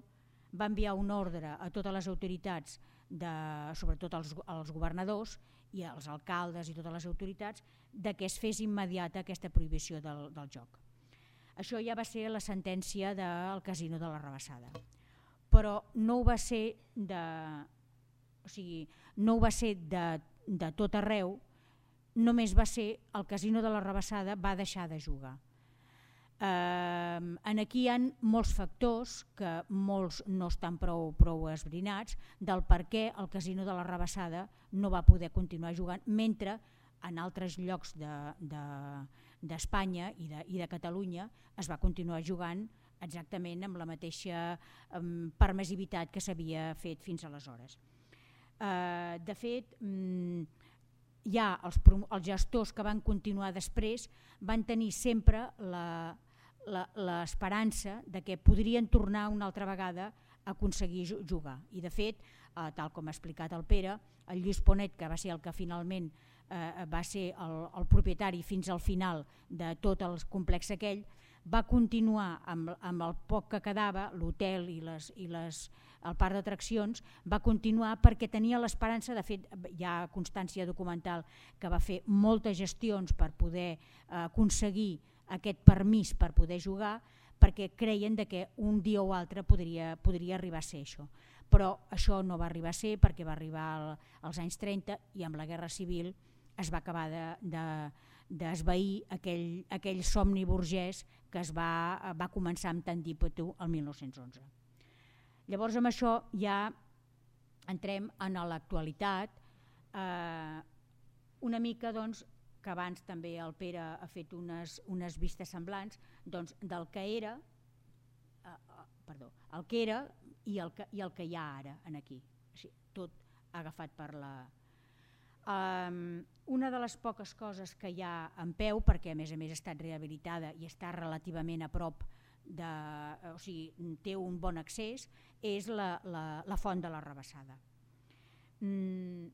Speaker 3: va enviar un ordre a totes les autoritats, de, sobretot als, als governadors i als alcaldes i totes les autoritats, de que es fes immediata aquesta prohibició del, del joc. Això ja va ser la sentència del casino de la Rabassada. Però no ho va ser de, o sigui, no ho va ser de, de tot arreu, només va ser el casino de la Rabassada va deixar de jugar. Uh, en aquí hi ha molts factors que molts no estan prou, prou esbrinats del per què el casino de la Rabassada no va poder continuar jugant mentre en altres llocs d'Espanya de, de, i, de, i de Catalunya es va continuar jugant exactament amb la mateixa um, permissivitat que s'havia fet fins aleshores. Uh, de fet, um, ja els, els gestors que van continuar després van tenir sempre la l'esperança de que podrien tornar una altra vegada a aconseguir jugar. I de fet, eh, tal com ha explicat el Pere, el Lluís Ponet, que va ser el que finalment eh, va ser el, el propietari fins al final de tot el complex aquell, va continuar amb, amb el poc que quedava, l'hotel i, les, i les, el parc d'atraccions, va continuar perquè tenia l'esperança, de fet hi ha constància documental que va fer moltes gestions per poder eh, aconseguir aquest permís per poder jugar, perquè creien de que un dia o altre podria, podria arribar a ser això. Però això no va arribar a ser perquè va arribar al, als anys trenta i amb la Guerra Civil es va acabar d'esvair de, de, aquell, aquell somni burgès que es va, va començar amb tant d'ímpetu el mil nou-cents onze. Llavors amb això ja entrem en l'actualitat, eh, una mica doncs, que abans també el Pere ha fet unes, unes vistes semblants doncs, del que era, eh, perdó, el que era i el que, i el que hi ha ara en aquí. O sigui, tot agafat per la... Um, una de les poques coses que hi ha en peu, perquè a més a més ha estat rehabilitada i està relativament a prop, de, o sigui, té un bon accés, és la, la, la font de la Rabassada. Mm,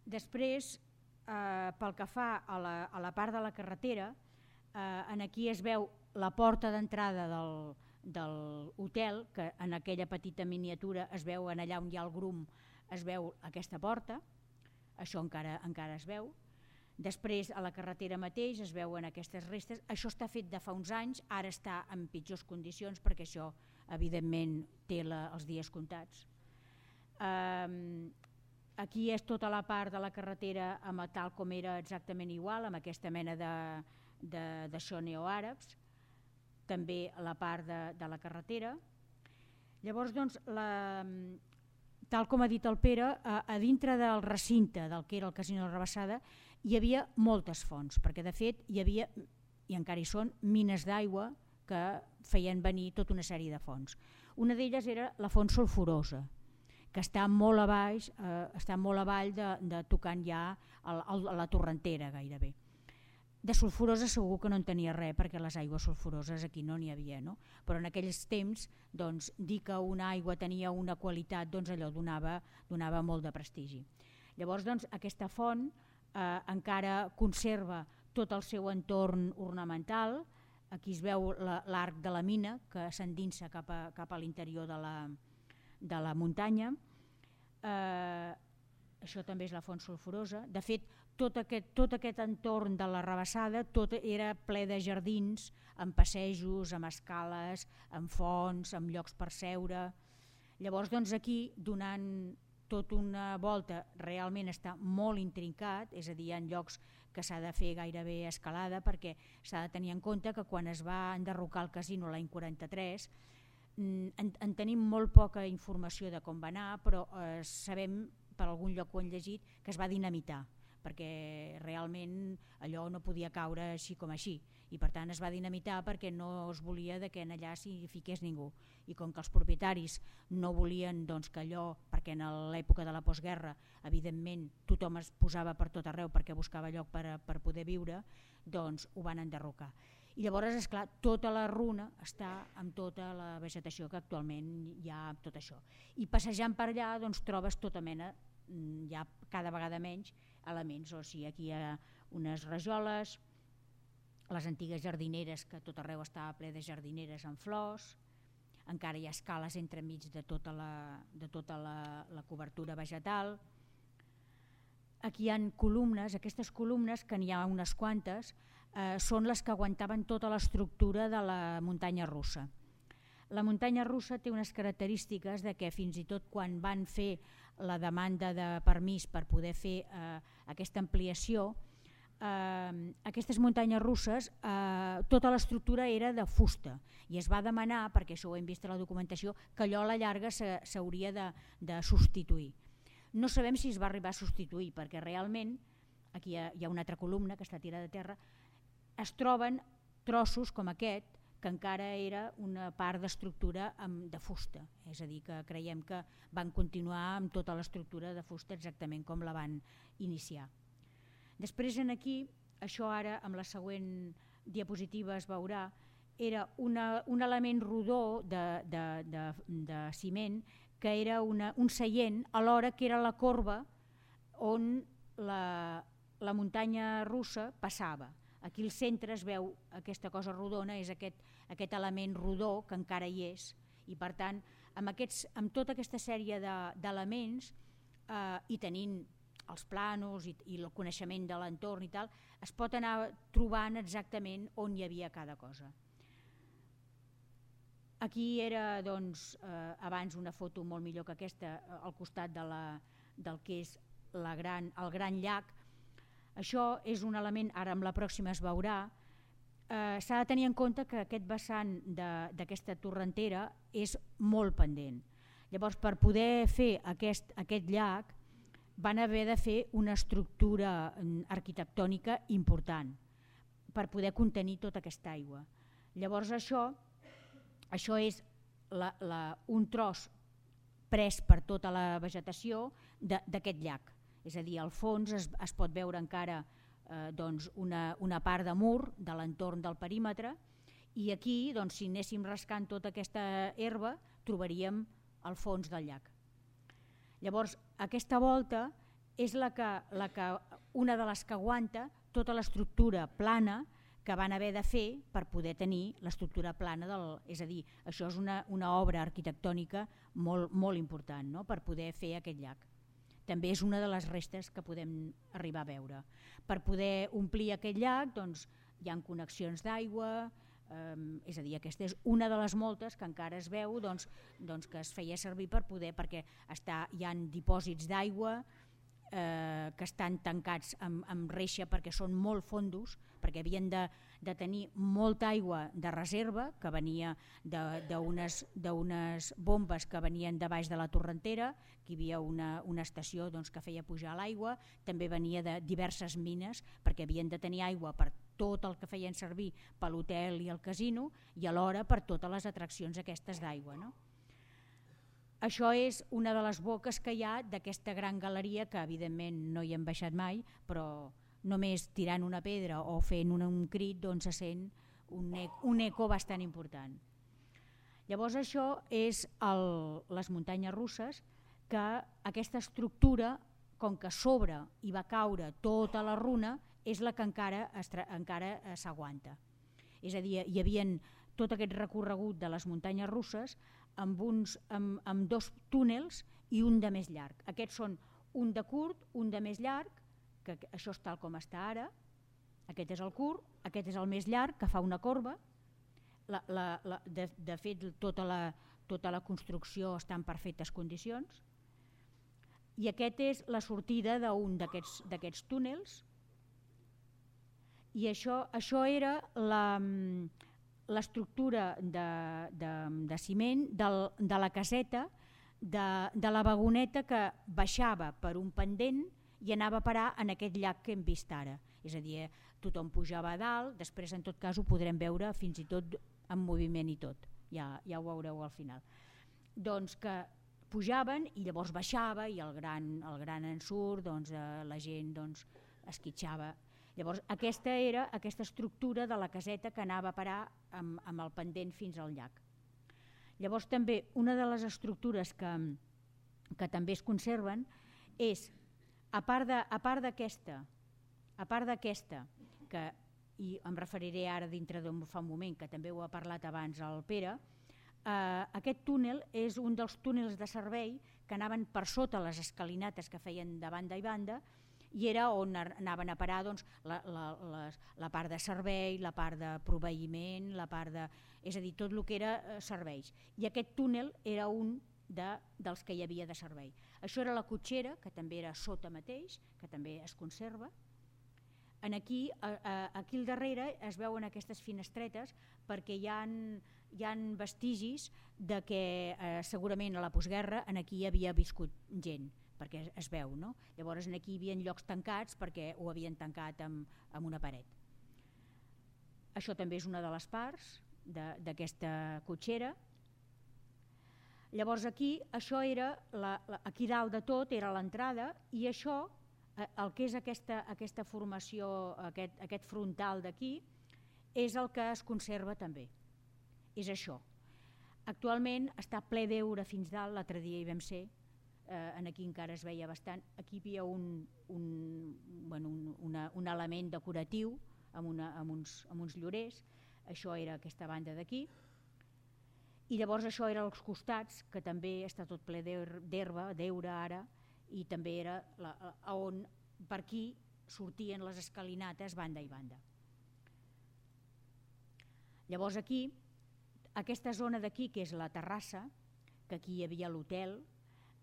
Speaker 3: després, Uh, pel que fa a la, a la part de la carretera, uh, en aquí es veu la porta d'entrada del, del hotel, que en aquella petita miniatura es veu en allà on hi ha el grum, es veu aquesta porta, això encara, encara es veu. Després a la carretera mateix es veuen aquestes restes, això està fet de fa uns anys, ara està en pitjors condicions perquè això evidentment té la, els dies comptats. Um, Aquí és tota la part de la carretera amb tal com era exactament igual, amb aquesta mena de, de, d'això neoàrabs, també la part de, de la carretera. Llavors, doncs, la, tal com ha dit el Pere, a, a dintre del recinte del que era el Casino de la Rabassada hi havia moltes fonts, perquè de fet hi havia, i encara hi són, mines d'aigua que feien venir tota una sèrie de fonts. Una d'elles era la font sulfurosa, que està molt a baix, eh, està molt avall de, de tocant ja el, el, la torrentera gairebé. De sulfurosa segur que no en tenia res, perquè les aigües sulfuroses aquí no n'hi havia, no? Però en aquells temps doncs, dir que una aigua tenia una qualitat, doncs allò donava, donava molt de prestigi. Llavors doncs, aquesta font eh, encara conserva tot el seu entorn ornamental, aquí es veu l'arc de la mina que s'endinsa cap a, cap a l'interior de la de la muntanya, eh, això també és la font sulfurosa. De fet, tot aquest, tot aquest entorn de la Rabassada tot era ple de jardins, amb passejos, amb escales, amb fonts, amb llocs per seure. Llavors, doncs, aquí, donant tota una volta, realment està molt intrincat, és a dir, hi ha llocs que s'ha de fer gairebé escalada perquè s'ha de tenir en compte que quan es va enderrocar el casino l'any quaranta-tres En, en tenim molt poca informació de com va anar, però eh, sabem per algun lloc ho han llegit, que es va dinamitar, perquè realment allò no podia caure així com així, i per tant es va dinamitar perquè no es volia que en allà s'hi fiqués ningú, i com que els propietaris no volien doncs, que allò, perquè en l'època de la postguerra evidentment tothom es posava per tot arreu perquè buscava lloc per, per poder viure, doncs ho van enderrocar. I llavors, esclar, tota la runa està amb tota la vegetació que actualment hi ha amb tot això. I passejant per allà doncs, trobes tota mena, hi ha cada vegada menys elements, o sigui, aquí hi ha unes rajoles, les antigues jardineres, que tot arreu estava ple de jardineres amb flors, encara hi ha escales entremig de tota la, de tota la, la cobertura vegetal. Aquí hi ha columnes, aquestes columnes, que n'hi ha unes quantes, eh, són les que aguantaven tota l'estructura de la muntanya russa. La muntanya russa té unes característiques de que fins i tot quan van fer la demanda de permís per poder fer eh, aquesta ampliació, eh, aquestes muntanyes russes, eh, tota l'estructura era de fusta i es va demanar, perquè això ho hem vist a la documentació, que allò a la llarga s'hauria de, de substituir. No sabem si es va arribar a substituir, perquè realment, aquí hi ha, hi ha una altra columna que està tirada a terra, es troben trossos com aquest, que encara era una part d'estructura de fusta, és a dir, que creiem que van continuar amb tota l'estructura de fusta exactament com la van iniciar. Després en aquí, això ara amb la següent diapositiva es veurà, era una, un element rodó de, de, de, de ciment que era una, un seient alhora que era la corba on la, la muntanya russa passava. Aquí al centre es veu aquesta cosa rodona, és aquest, aquest element rodó que encara hi és, i per tant amb, aquests, amb tota aquesta sèrie d'elements eh, i tenint els planos i, i el coneixement de l'entorn i tal, es pot anar trobant exactament on hi havia cada cosa. Aquí era doncs, eh, abans una foto molt millor que aquesta al costat de la, del que és la gran, el gran llac. Això és un element, ara amb la pròxima es veurà, eh, s'ha de tenir en compte que aquest vessant d'aquesta torrentera és molt pendent. Llavors, per poder fer aquest, aquest llac van haver de fer una estructura arquitectònica important per poder contenir tota aquesta aigua. Llavors això, això és la, la, un tros pres per tota la vegetació d'aquest llac. És a dir, al fons es, es pot veure encara eh, doncs una, una part de mur de l'entorn del perímetre i aquí, doncs, si anéssim rascant tota aquesta herba, trobaríem el fons del llac. Llavors, aquesta volta és la que, la que, una de les que aguanta tota l'estructura plana que van haver de fer per poder tenir l'estructura plana, del, és a dir, això és una, una obra arquitectònica molt, molt important, no?, per poder fer aquest llac. També és una de les restes que podem arribar a veure. Per poder omplir aquest llac doncs, hi ha connexions d'aigua, eh, és a dir, aquesta és una de les moltes que encara es veu doncs, doncs que es feia servir per poder, perquè està, hi ha dipòsits d'aigua eh, que estan tancats amb, amb reixa perquè són molt fondos, perquè havien de, de tenir molta aigua de reserva que venia d'unes bombes que venien de baix de la torrentera, que hi havia una, una estació doncs, que feia pujar l'aigua, també venia de diverses mines perquè havien de tenir aigua per tot el que feien servir per l'hotel i el casino i alhora per totes les atraccions aquestes d'aigua, no? Això és una de les boques que hi ha d'aquesta gran galeria que evidentment no hi hem baixat mai, però només tirant una pedra o fent un, un crit doncs se sent un, un eco bastant important. Llavors això és el, les muntanyes russes, que aquesta estructura, com que sobre hi va caure tota la runa, és la que encara, encara s'aguanta. És a dir, hi havia tot aquest recorregut de les muntanyes russes amb, uns, amb, amb dos túnels i un de més llarg. Aquests són un de curt, un de més llarg, que això és tal com està ara, aquest és el curt, aquest és el més llarg, que fa una corba, la, la, la, de, de fet tota la, tota la construcció està en perfectes condicions, i aquest és la sortida d'un d'aquests túnels, i això, això era l'estructura de, de, de ciment del, de la caseta de, de la vagoneta que baixava per un pendent i anava a parar en aquest llac que hem vist ara. És a dir, tothom pujava a dalt, després en tot cas ho podrem veure fins i tot en moviment i tot, ja, ja ho veureu al final. Doncs que pujaven i llavors baixava i el gran, el gran ensurt, doncs, eh, la gent doncs, esquitxava. Llavors aquesta era aquesta estructura de la caseta que anava a parar amb, amb el pendent fins al llac. Llavors també una de les estructures que, que també es conserven és, a part d'aquesta, a part d'aquesta, que i em referiré ara dintre d'un fa un moment, que també ho ha parlat abans el Pere, eh, aquest túnel és un dels túnels de servei que anaven per sota les escalinates que feien de banda i banda, i era on anaven a parar doncs, la, la, la, la part de servei, la part de proveïment, la part de, és a dir, tot el que era eh, serveis. I aquest túnel era un de, dels que hi havia de servei. Això era la cotxera, que també era sota mateix, que també es conserva. En aquí, a, aquí al darrere es veuen aquestes finestretes perquè hi ha, hi ha vestigis de que eh, segurament a la postguerra en aquí hi havia viscut gent, perquè es veu, no? Llavors aquí hi havia llocs tancats perquè ho havien tancat amb, amb una paret. Això també és una de les parts d'aquesta cotxera. Llavors aquí, això era, la, la, aquí dalt de tot era l'entrada i això, el que és aquesta, aquesta formació, aquest, aquest frontal d'aquí, és el que es conserva també, és això. Actualment està ple d'heura fins dalt, l'altre dia hi vam ser, eh, aquí encara es veia bastant, aquí hi havia un, un, bueno, un, una, un element decoratiu amb, una, amb, uns, amb uns llorers, això era aquesta banda d'aquí, i llavors això era als costats, que també està tot ple d'herba, d'heura ara, i també era la, on per aquí sortien les escalinates banda i banda. Llavors aquí, aquesta zona d'aquí, que és la terrassa, que aquí hi havia l'hotel,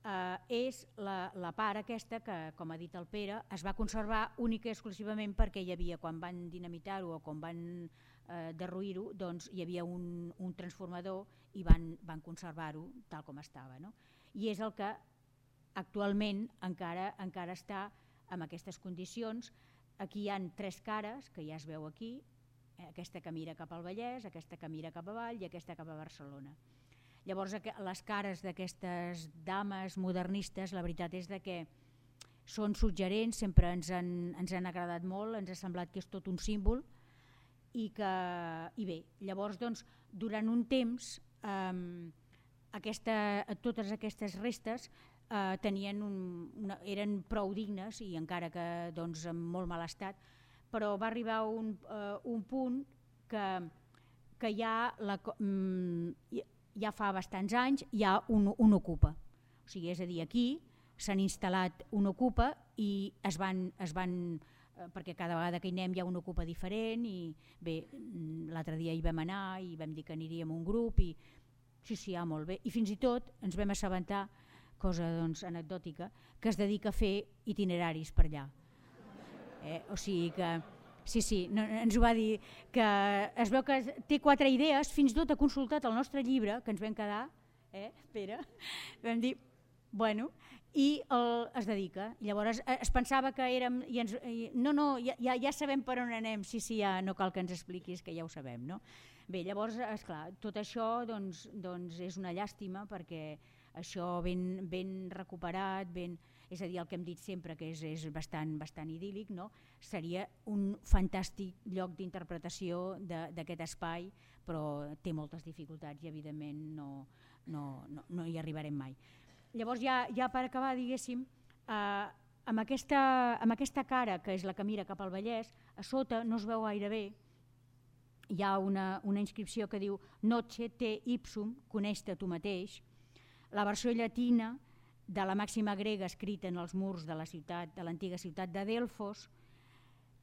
Speaker 3: eh, és la, la part aquesta que, com ha dit el Pere, es va conservar única i exclusivament perquè hi havia, quan van dinamitar-ho o quan van eh, derruir-ho, doncs hi havia un, un transformador i van, van conservar-ho tal com estava, no? I és el que actualment encara, encara està en aquestes condicions. Aquí hi ha tres cares, que ja es veu aquí, aquesta que mira cap al Vallès, aquesta que mira cap avall i aquesta cap a Barcelona. Llavors les cares d'aquestes dames modernistes, la veritat és que són suggerents, sempre ens han, ens han agradat molt, ens ha semblat que és tot un símbol i que, i bé, llavors doncs, durant un temps eh, aquesta, totes aquestes restes Uh, tenien un, una, eren prou dignes i encara que doncs, en molt mal estat, però va arribar un, uh, un punt que, que ja, la, um, ja fa bastants anys hi ha un, un ocupa. O sigui, és a dir, aquí s'han instal·lat un ocupa i es van, es van uh, perquè cada vegada que hi anem hi ha un ocupa diferent i bé, l'altre dia hi vam anar i vam dir que aniríem un grup i sí, sí, ja, molt bé. I fins i tot ens vam assabentar, cosa doncs, anecdòtica, que es dedica a fer itineraris per allà. Eh? O sigui que, sí, sí, no, ens ho va dir, que es veu que té quatre idees, fins i tot ha consultat el nostre llibre, que ens vam quedar, eh, Pere, vam dir, bueno, i el, es dedica. Llavors es pensava que érem, i ens, i, no, no, ja, ja sabem per on anem, sí, sí, ja no cal que ens expliquis, que ja ho sabem, no? Bé, llavors, esclar, tot això doncs, doncs és una llàstima perquè això ben, ben recuperat, ben, és a dir, el que hem dit sempre, que és, és bastant, bastant idíl·lic, no? Seria un fantàstic lloc d'interpretació d'aquest espai, però té moltes dificultats i evidentment no, no, no, no hi arribarem mai. Llavors ja, ja per acabar, diguéssim, eh, amb, aquesta, amb aquesta cara, que és la que mira cap al Vallès, a sota no es veu gaire bé, hi ha una, una inscripció que diu Noce te ipsum, coneix-te tu mateix, la versió llatina de la màxima grega escrita en els murs de la ciutat, de l'antiga ciutat de Delfos,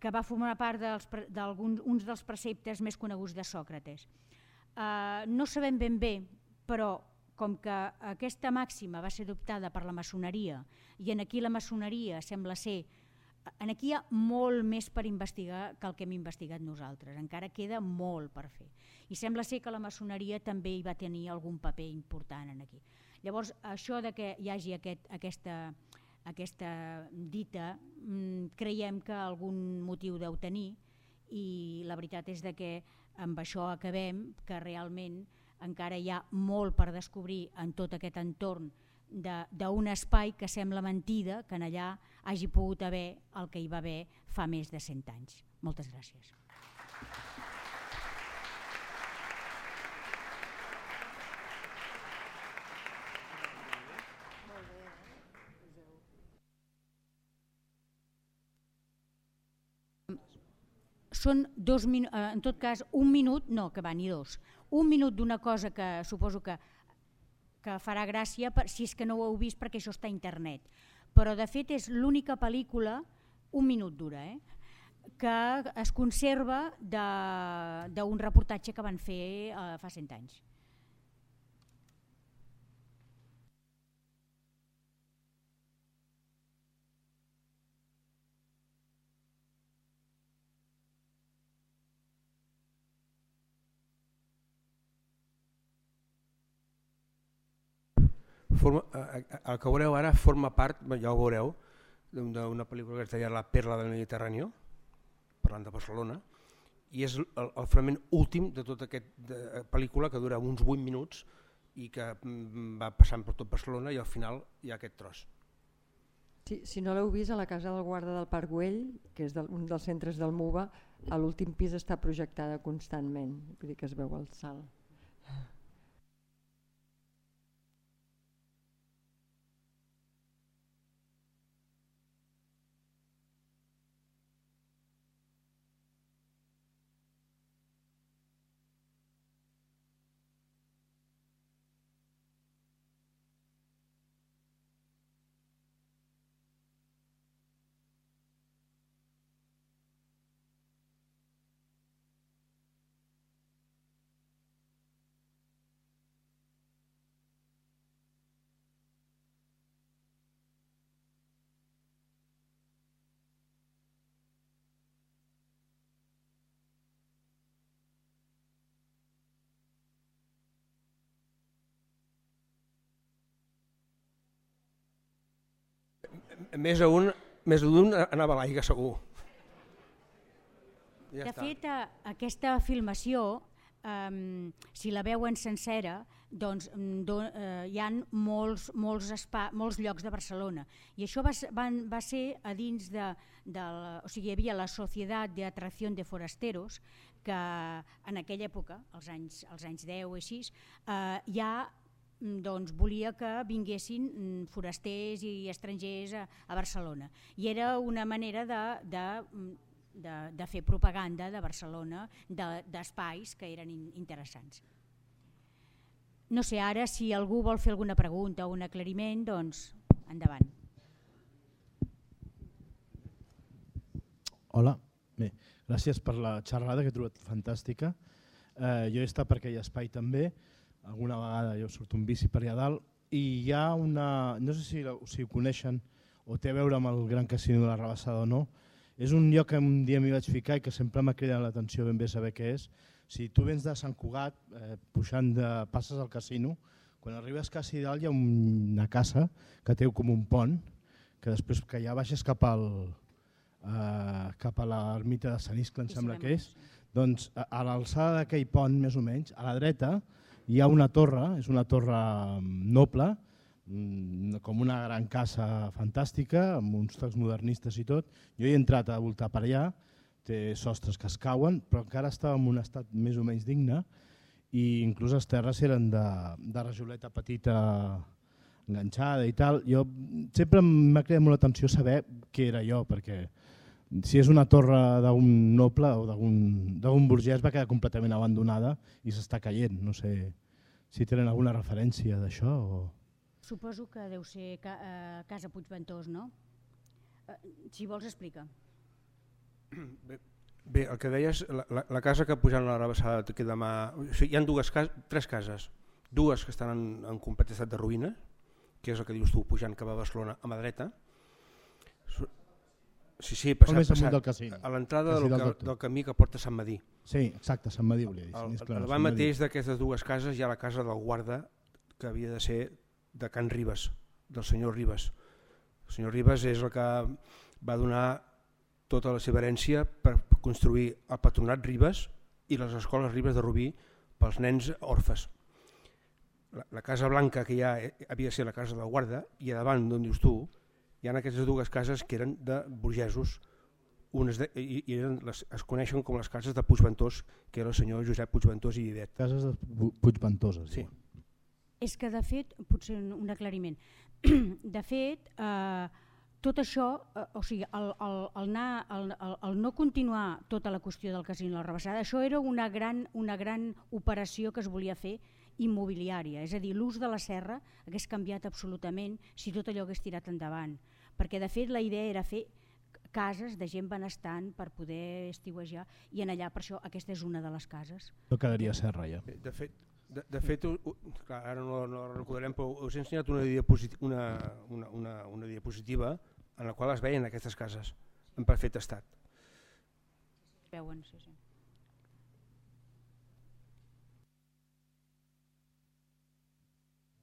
Speaker 3: que va formar part d'uns dels preceptes més coneguts de Sòcrates. Uh, no sabem ben bé, però com que aquesta màxima va ser adoptada per la maçoneria i en aquí la maçoneria sembla ser, en aquí hi ha molt més per investigar que el que hem investigat nosaltres, encara queda molt per fer i sembla ser que la maçoneria també hi va tenir algun paper important en aquí. Llavors, això de que hi hagi aquest, aquesta, aquesta dita, mmm, creiem que algun motiu deu tenir, i la veritat és de que amb això acabem, que realment encara hi ha molt per descobrir en tot aquest entorn d'un espai que sembla mentida que en allà hagi pogut haver el que hi va haver fa més de cent anys. Moltes gràcies. Són dos minuts, en tot cas un minut, no, que va, ni dos, un minut d'una cosa que suposo que, que farà gràcia per, si és que no ho heu vist perquè això està a internet, però de fet és l'única pel·lícula, un minut dura, eh, que es conserva d'un reportatge que van fer eh, fa cent anys.
Speaker 2: Forma, el que veureu ara forma part, ja ho veureu, d'una pel·lícula que es deia La perla del Mediterrani, parlant de Barcelona, i és el, el fragment últim de tota aquesta pel·lícula que dura uns vuit minuts i que va passant per tot Barcelona i al final hi ha aquest tros.
Speaker 1: Sí, si no l'heu vist, a la Casa del Guarda del Parc Güell, que és del, un dels centres del M U B A, a l'últim pis està projectada constantment, vull dir que es veu el salt.
Speaker 2: Més d'un més d'un anava a l'aigua segur. Ja
Speaker 3: de
Speaker 2: està.
Speaker 3: fet, aquesta filmació, um, si la veuen sencera, doncs do, uh, hi ha molts, molts, espa, molts llocs de Barcelona. I això va, van, va ser a dins de, de la, o sigui, hi havia la Societat de Atracción de Forasteros, que en aquella època, als anys, als anys deu i així, uh, ja doncs volia que vinguessin forasters i estrangers a, a Barcelona. I era una manera de, de, de, de fer propaganda de Barcelona, d'espais que eren interessants. No sé, ara si algú vol fer alguna pregunta o un aclariment, doncs endavant.
Speaker 4: Hola, bé, gràcies per la xerrada que he trobat fantàstica. Eh, jo he estat per aquell espai també, alguna vegada jo surto un bici per allà dalt i hi ha una, no sé si, si ho coneixen o té a veure amb el Gran Casino de la Rabassada o no, és un lloc que un dia m'hi vaig ficar i que sempre m'ha cridat l'atenció ben bé saber què és. Si tu vens de Sant Cugat, eh, pujant de, passes al casino, quan arribes quasi dalt hi ha una casa que té com un pont, que després que ja baixes cap, al, eh, cap a l'ermita de Sant Iscle, em sembla que és, doncs a, a l'alçada d'aquell pont, més o menys, a la dreta, hi ha una torre, és una torre noble, com una gran casa fantàstica, amb uns tocs modernistes i tot. Jo he entrat a voltar per allà, té sostres que es cauen, però encara estava en un estat més o menys digne i inclús les terres eren de, de rajoleta petita enganxada i tal. Jo sempre m'ha cridat molt l'atenció saber què era allò, perquè si és una torre d'un noble o d'un burgès va quedar completament abandonada i s'està caient. No sé si tenen alguna referència d'això. O...
Speaker 3: Suposo que deu ser ca, eh, Casa Puigventós, no? Eh, si vols explica.
Speaker 2: Bé, bé, el que deies, la, la, la casa que pujant a la Rabassada que demà, o sigui, hi ha dues cases, tres cases, dues que estan en, en complet estat de ruïna, que és el que dius tu, pujant cap a Barcelona a mà dreta. Sí, sí, passat, passat, a l'entrada del, del, del camí que porta a Sant Madí.
Speaker 4: Sí, exacte, Sant Madí volia dir.
Speaker 2: Al davant mateix d'aquestes dues cases hi ha la casa del guarda, que havia de ser de Can Ribes, del senyor Ribes. El senyor Ribes és el que va donar tota la seva herència per construir el Patronat Ribes i les escoles Ribes de Rubí pels nens orfes. La, la Casa Blanca, que ja havia de ser la casa de la guarda, i a davant d'on dius tu, hi ha aquestes dues cases que eren de burgesos, unes de, i, i eren les, es coneixen com les cases de Puigventós, que era el senyor Josep Puigventós i Vivet.
Speaker 4: Cases de Puigventoses.
Speaker 2: Sí.
Speaker 3: És que de fet, potser un aclariment, de fet, eh, tot això, eh, o sigui, el, el, el, anar, el, el, el no continuar tota la qüestió del casino de la Rabassada, això era una gran, una gran operació que es volia fer immobiliària, és a dir, l'ús de la serra hagués canviat absolutament si tot allò hagués tirat endavant, perquè de fet la idea era fer cases de gent benestant per poder estiuejar i en allà, per això aquesta és una de les cases.
Speaker 4: No quedaria serra ja.
Speaker 2: De fet, de, de fet clar, ara no, no recordarem, però us he ensenyat una diapositiva, una, una, una, una diapositiva en la qual es veien aquestes cases en perfecte estat.
Speaker 3: Es veuen, sí, sí.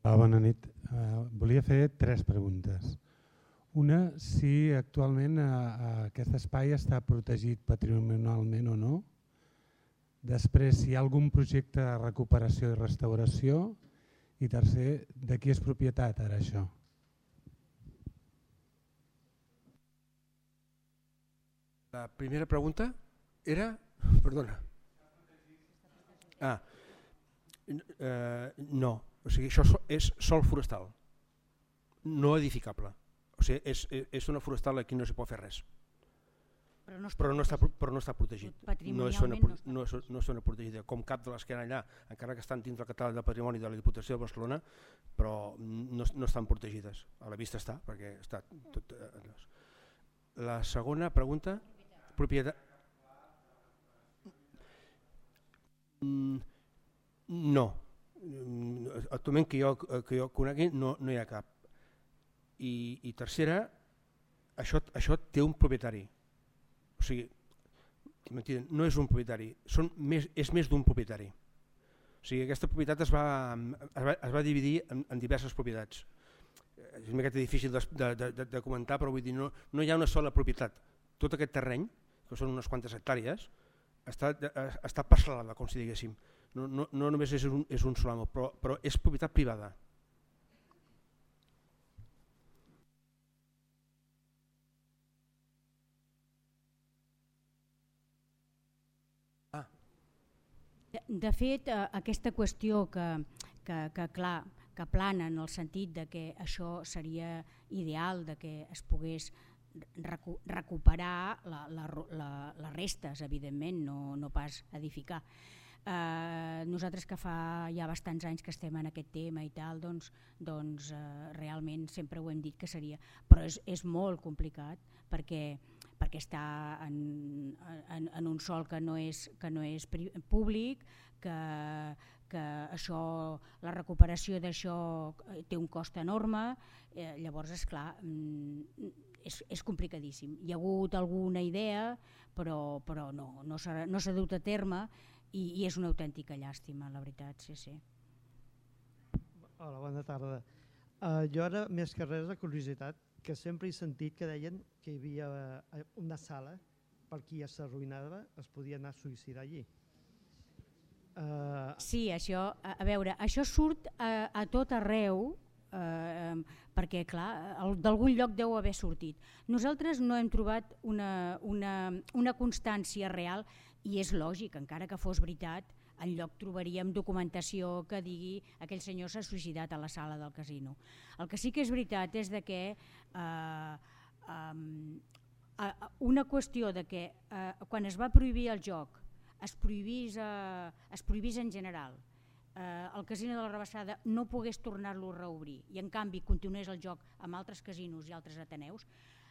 Speaker 5: Ah, bona nit. Uh, volia fer tres preguntes. Una, si actualment uh, aquest espai està protegit patrimonialment o no. Després, si hi ha algun projecte de recuperació i restauració. I tercer, de qui és propietat ara això?
Speaker 2: La primera pregunta era... Perdona. Ah, eh, no. O sigui, això és sòl forestal, no edificable. O sigui, és, és una forestal, aquí no s'hi pot fer res.
Speaker 3: Però no està,
Speaker 2: però no està, però no està protegit.
Speaker 3: Patrimonialment
Speaker 2: no és zona,
Speaker 3: no està,
Speaker 2: no és, no és zona protegida, com cap de les que hi ha allà, encara que estan dins del catàleg de patrimoni de la Diputació de Barcelona, però no, no estan protegides. A la vista està, perquè està tot... La segona pregunta, propietat... No. Actualment que jo, que jo conegui no, no hi ha cap. I, i tercera, això, això té un propietari. O sigui, no és un propietari, són més, és més d'un propietari. O sigui, aquesta propietat es va, es va, es va dividir en, en diverses propietats. És una miqueta difícil de, de, de, de comentar, però vull dir, no, no hi ha una sola propietat. Tot aquest terreny, que són unes quantes hectàrees, està, està parcel·lada, com si diguéssim. No, no, no només és un, és un sol amo, però, però és propietat privada.
Speaker 3: Ah. De, de fet, eh, aquesta qüestió que, que, que, clar, que plana en el sentit de que això seria ideal, de que es pogués recu recuperar la, la, la, les restes, evidentment, no, no pas edificar. Uh, nosaltres que fa ja bastants anys que estem en aquest tema i tal, doncs, doncs uh, realment sempre ho hem dit que seria, però és, és molt complicat perquè, perquè està en, en, en un sòl que no és, que no és públic, que, que això, la recuperació d'això té un cost enorme, eh, llavors esclar, és, és complicadíssim. Hi ha hagut alguna idea, però, però no, no s'ha no s'ha dut a terme. I, i és una autèntica llàstima, la veritat, sí, sí.
Speaker 6: Hola, bona tarda. Uh, jo ara, més que res de curiositat, que sempre he sentit que deien que hi havia una sala per qui ja s'arruïnava, es podia anar a suïcidar allí. Uh...
Speaker 3: Sí, això, a, a veure, això surt a, a tot arreu, eh, perquè clar, d'algun lloc deu haver sortit. Nosaltres no hem trobat una, una, una constància real. I és lògic, encara que fos veritat, enlloc trobaríem documentació que digui aquell senyor s'ha suïcidat a la sala del casino. El que sí que és veritat és de que eh, eh, una qüestió de que eh, quan es va prohibir el joc es prohibís, eh, es prohibís en general, eh, el casino de la Rabassada no pogués tornar-lo a reobrir i en canvi continués el joc amb altres casinos i altres ateneus,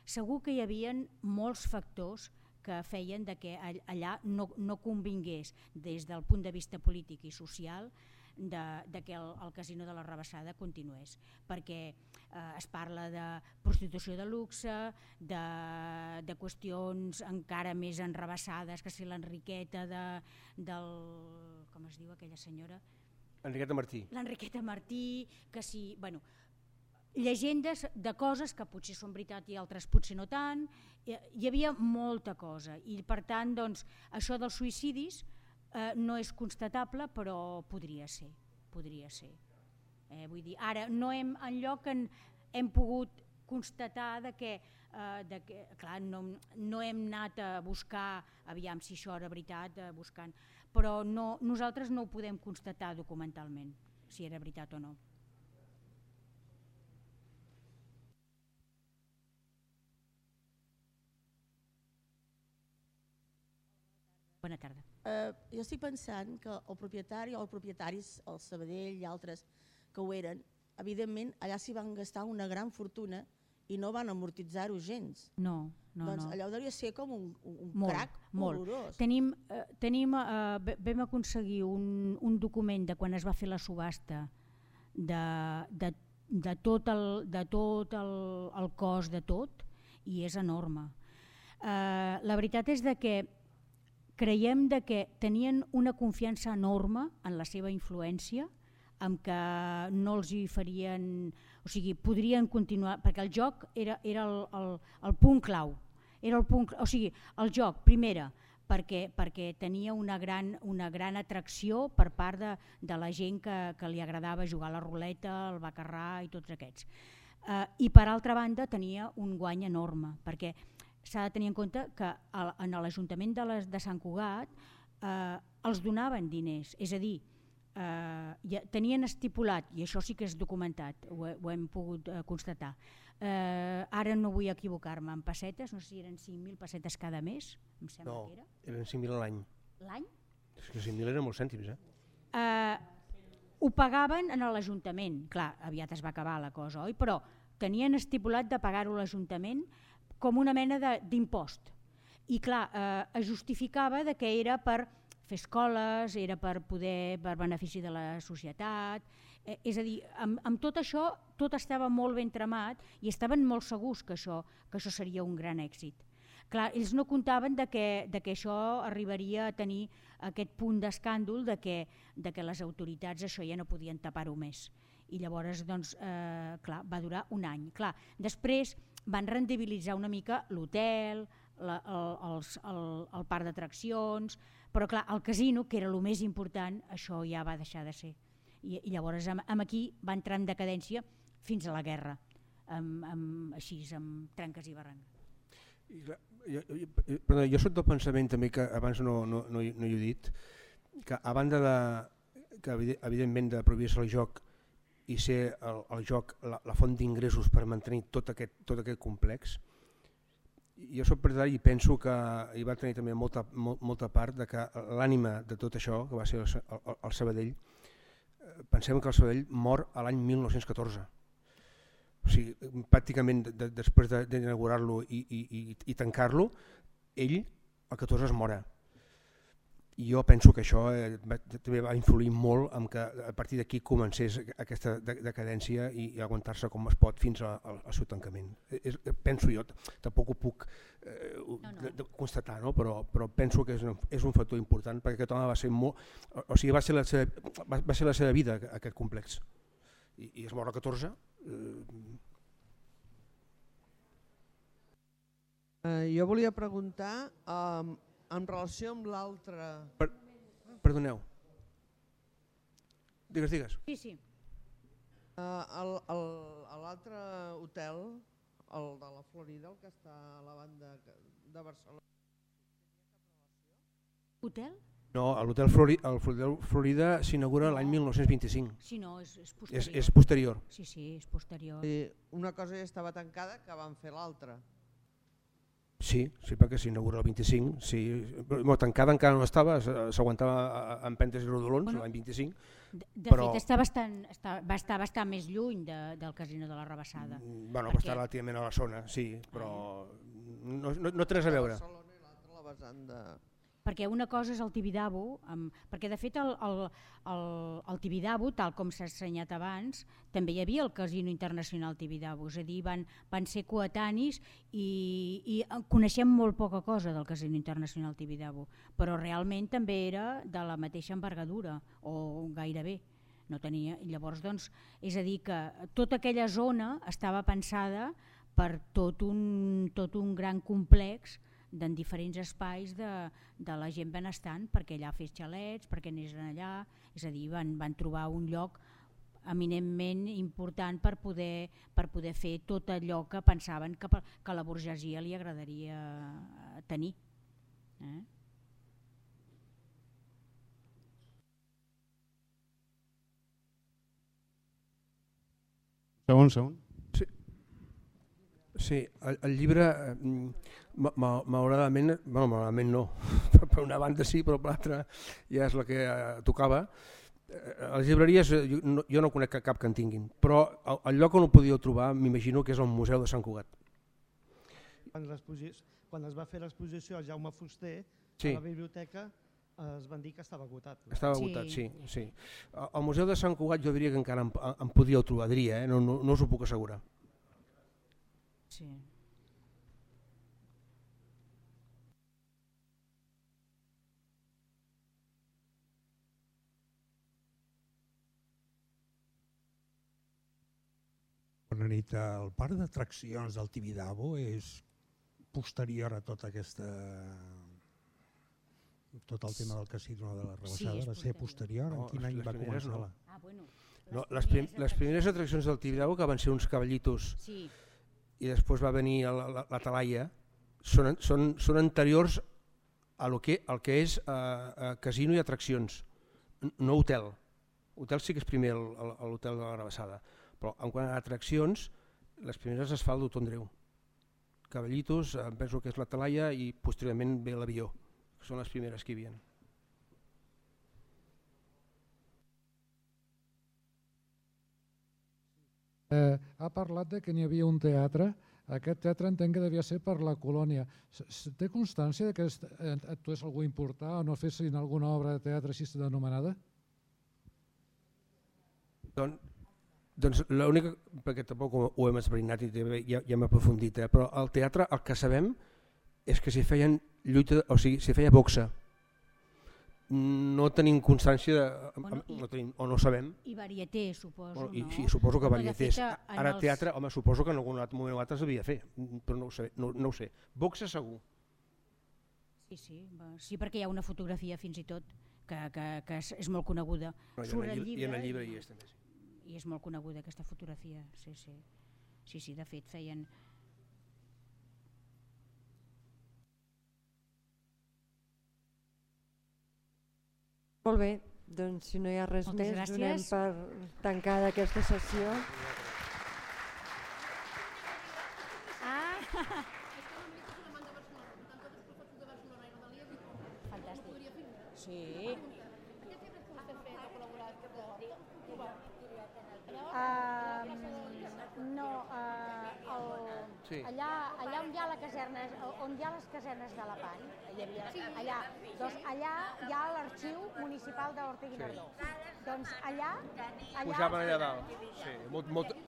Speaker 3: segur que hi havia molts factors que feien de que allà no, no convingués des del punt de vista polític i social de, de que el, el casino de la Rabassada continués, perquè eh, es parla de prostitució de luxe, de, de qüestions encara més enrabassades, que si l'Enriqueta de, del... com es diu aquella senyora?
Speaker 2: Enriqueta Martí.
Speaker 3: L'Enriqueta Martí, que si... Bueno, llegendes de coses que potser són veritat i altres potser no tant, hi havia molta cosa i per tant doncs, això dels suïcidis eh, no és constatable però podria ser, podria ser. Eh, vull dir, ara no hem, enlloc en, hem pogut constatar de que, eh, de que clar, no, no hem anat a buscar, aviam si això era veritat, eh, buscant, però no, nosaltres no ho podem constatar documentalment, si era veritat o no. Bona tarda.
Speaker 7: Uh, jo estic pensant que el propietari o els propietaris, el Sabadell i altres que ho eren, evidentment allà s'hi van gastar una gran fortuna i no van amortitzar-ho gens.
Speaker 3: No, no,
Speaker 7: doncs
Speaker 3: no.
Speaker 7: Allò hauria ser com un, un
Speaker 3: molt,
Speaker 7: crac
Speaker 3: molt.
Speaker 7: horrorós.
Speaker 3: Tenim, eh, tenim, eh, vam aconseguir un, un document de quan es va fer la subhasta de, de, de tot, el, de tot el, el cost de tot i és enorme. Eh, la veritat és de que creiem de que tenien una confiança enorme en la seva influència, amb que no els hi farien, o sigui, podrien continuar, perquè el joc era, era el, el, el punt clau, era el punt, o sigui, el joc, primera, perquè, perquè tenia una gran, una gran atracció per part de, de la gent que, que li agradava jugar a la ruleta, el bacarrà i tots aquests. Eh, I per altra banda tenia un guany enorme, perquè s'ha de tenir en compte que en l'Ajuntament de, les, de Sant Cugat eh, els donaven diners, és a dir, eh, ja tenien estipulat, i això sí que és documentat, ho, ho hem pogut eh, constatar, eh, ara no vull equivocar-me, en pessetes, no sé si eren cinc mil pessetes cada mes, em sembla
Speaker 2: no,
Speaker 3: que era.
Speaker 2: eren cinc mil a l'any.
Speaker 3: L'any?
Speaker 2: És que cinc mil eren molts cèntims, eh?
Speaker 3: Eh, ho pagaven en l'Ajuntament, clar, aviat es va acabar la cosa, oi? Però tenien estipulat de pagar-ho a l'Ajuntament com una mena d'impost. I clar, eh, es justificava de que era per fer escoles, era per poder, per benefici de la societat, eh, és a dir, amb, amb tot això tot estava molt ben tramat i estaven molt segurs que això, que això seria un gran èxit. Clar, ells no comptaven de que, de que això arribaria a tenir aquest punt d'escàndol de que, de que les autoritats això ja no podien tapar-ho més. I llavors, doncs, eh, clar, va durar un any. Clar, després van rendibilitzar una mica l'hotel, el, el, el, el parc d'atraccions, però clar, el casino, que era el més important, això ja va deixar de ser. I, i llavors amb, amb aquí va entrar en decadència fins a la guerra, amb, amb, així, amb trenques i barrancs.
Speaker 2: I, clar, jo, jo, perdó, jo soc del pensament també, que abans no, no, no, no hi he dit, que a banda de, que evidentment de prohibir-se el joc i ser el, el joc la, la font d'ingressos per mantenir tot aquest, tot aquest complex, jo soc partidari i penso que hi va tenir també molta, molt, molta part de que l'ànima de tot això, que va ser el, el, el Sabadell, pensem que el Sabadell mor a l'any mil nou-cents catorze. O sigui, pràcticament de, de, després d'inaugurar-lo i, i, i, i tancar-lo, ell el catorze es mora. I jo penso que això eh, va, també va influir molt en que a partir d'aquí comencés aquesta decadència i, i aguantar-se com es pot fins a, a, al seu tancament. És, penso jo, tampoc ho puc eh, no, no. De, de constatar, no? però, però penso que és un, és un factor important perquè aquest home va ser molt, o sigui, va ser la seva, va, va ser la seva vida aquest complex. I, i es mor a catorze. Eh...
Speaker 8: Uh, jo volia preguntar... Um, en relació amb l'altre...
Speaker 2: Per, perdoneu. Digues, digues.
Speaker 3: Sí, sí.
Speaker 8: Uh, l'altre hotel, el de la Florida, el que està a la banda de Barcelona...
Speaker 3: Hotel?
Speaker 2: No, l'hotel Florida, Florida s'inaugura l'any mil nou-cents vint-i-cinc.
Speaker 3: Sí, no, és, és posterior.
Speaker 2: És, és posterior.
Speaker 3: Sí, sí, és posterior.
Speaker 8: I una cosa ja estava tancada que van fer l'altra.
Speaker 2: Sí, sí, perquè s'inaugura el vint-i-cinc, sí. Bueno, tancada encara no estava, s'aguantava en pentes i rodolons bueno, l'any vint-i-cinc.
Speaker 3: De, de
Speaker 2: però...
Speaker 3: fet, està bastant, està, va estar bastant més lluny de, del casino de la Rebassada.
Speaker 2: Bueno, perquè... va estar relativament a la zona, sí, però no, no, no té res a veure.
Speaker 8: Barcelona i l'altra la vessant de...
Speaker 3: Perquè una cosa és el Tibidabo, amb, perquè de fet el, el, el, el Tibidabo, tal com s'ha assenyat abans, també hi havia el Casino Internacional Tibidabo, és a dir, van, van ser coetanis i, i coneixem molt poca cosa del Casino Internacional Tibidabo, però realment també era de la mateixa envergadura, o gairebé. No tenia, llavors, doncs, és a dir, que tota aquella zona estava pensada per tot un, tot un gran complex en diferents espais de, de la gent benestant, perquè allà fes xalets, perquè anessin allà, és a dir, van, van trobar un lloc eminentment important per poder, per poder fer tot allò que pensaven que, que a la burgesia li agradaria tenir. Eh?
Speaker 4: Segon, segon.
Speaker 2: Sí, sí el, el llibre, malauradament, bueno, malauradament no, per una banda sí, però per l'altra ja és la que eh, tocava. A les llibreries jo no, jo no conec cap que en tinguin, però el, el lloc on ho podíeu trobar m'imagino que és el Museu de Sant Cugat.
Speaker 6: Quan, quan es va fer l'exposició al Jaume Fuster,
Speaker 2: sí.
Speaker 6: A la biblioteca es van dir que estava agotat.
Speaker 2: Estava agotat, sí. sí, sí. Al Museu de Sant Cugat jo diria que encara em, em podíeu trobar, diria, eh? no, no, no us ho puc assegurar.
Speaker 3: Sí.
Speaker 9: Bona nit. El parc d'atraccions del Tibidabo és posterior a tota aquesta... tot el tema del casino de la Rebassada, sí, va ser posterior? En no, quin any va començar?
Speaker 2: No.
Speaker 9: La...
Speaker 3: Ah, bueno,
Speaker 2: no, les, prim les primeres atraccions del Tibidabo, que van ser uns cavallitos, sí. I després va venir la, la, la Talaia, són, són, són anteriors a lo que, al que és uh, uh, casino i atraccions, no hotel. Hotel sí que és primer l'hotel de la Rebassada, però en quant a atraccions, les primeres es fa al Doctor Andreu. Cavallitos, em penso que és la Talaia i posteriorment ve l'avió. Són les primeres que hi havia.
Speaker 10: Eh, ha parlat de que n'hi havia un teatre. Aquest teatre entenc que devia ser per la colònia. Té constància que actués algú important o no fessin alguna obra de teatre així anomenada?
Speaker 2: Doncs, doncs l'única, perquè tampoc ho hem esbrinat i ja, ja hem aprofundit, eh, però al teatre el que sabem és que s'hi feien lluita, o sigui, s'hi feia boxa. No tenim constància, de, bueno, i, no tenim, o no sabem.
Speaker 3: I varieté, suposo,
Speaker 2: bueno, i,
Speaker 3: no?
Speaker 2: sí, suposo que varietés. Ara
Speaker 3: els...
Speaker 2: teatre, home, suposo que en algun moment o altre s'havia de fer, però no ho sé. No, no ho sé. Boxa segur.
Speaker 3: Sí, sí, sí, perquè hi ha una fotografia fins i tot que, que, que és, és molt coneguda.
Speaker 2: No, Surt el llibre, I en el llibre hi és també. Sí.
Speaker 3: I és molt coneguda aquesta fotografia, sí, sí. Sí, sí, de fet feien...
Speaker 1: Molt bé, doncs si no hi ha res
Speaker 3: Moltes
Speaker 1: més,
Speaker 3: gràcies.
Speaker 1: Donem per tancada aquesta sessió.
Speaker 3: Ah! Fantàstic. Sí. Uh, no, uh, el, sí. allà, allà on hi ha la caserna, on hi ha les casernes de la Pan, hi havia, allà, doncs allà hi ha l'arxiu municipal d'Horta-Guinardó. Sí. Doncs allà, allà...
Speaker 2: Pujaven allà dalt. Sí, molt, molt,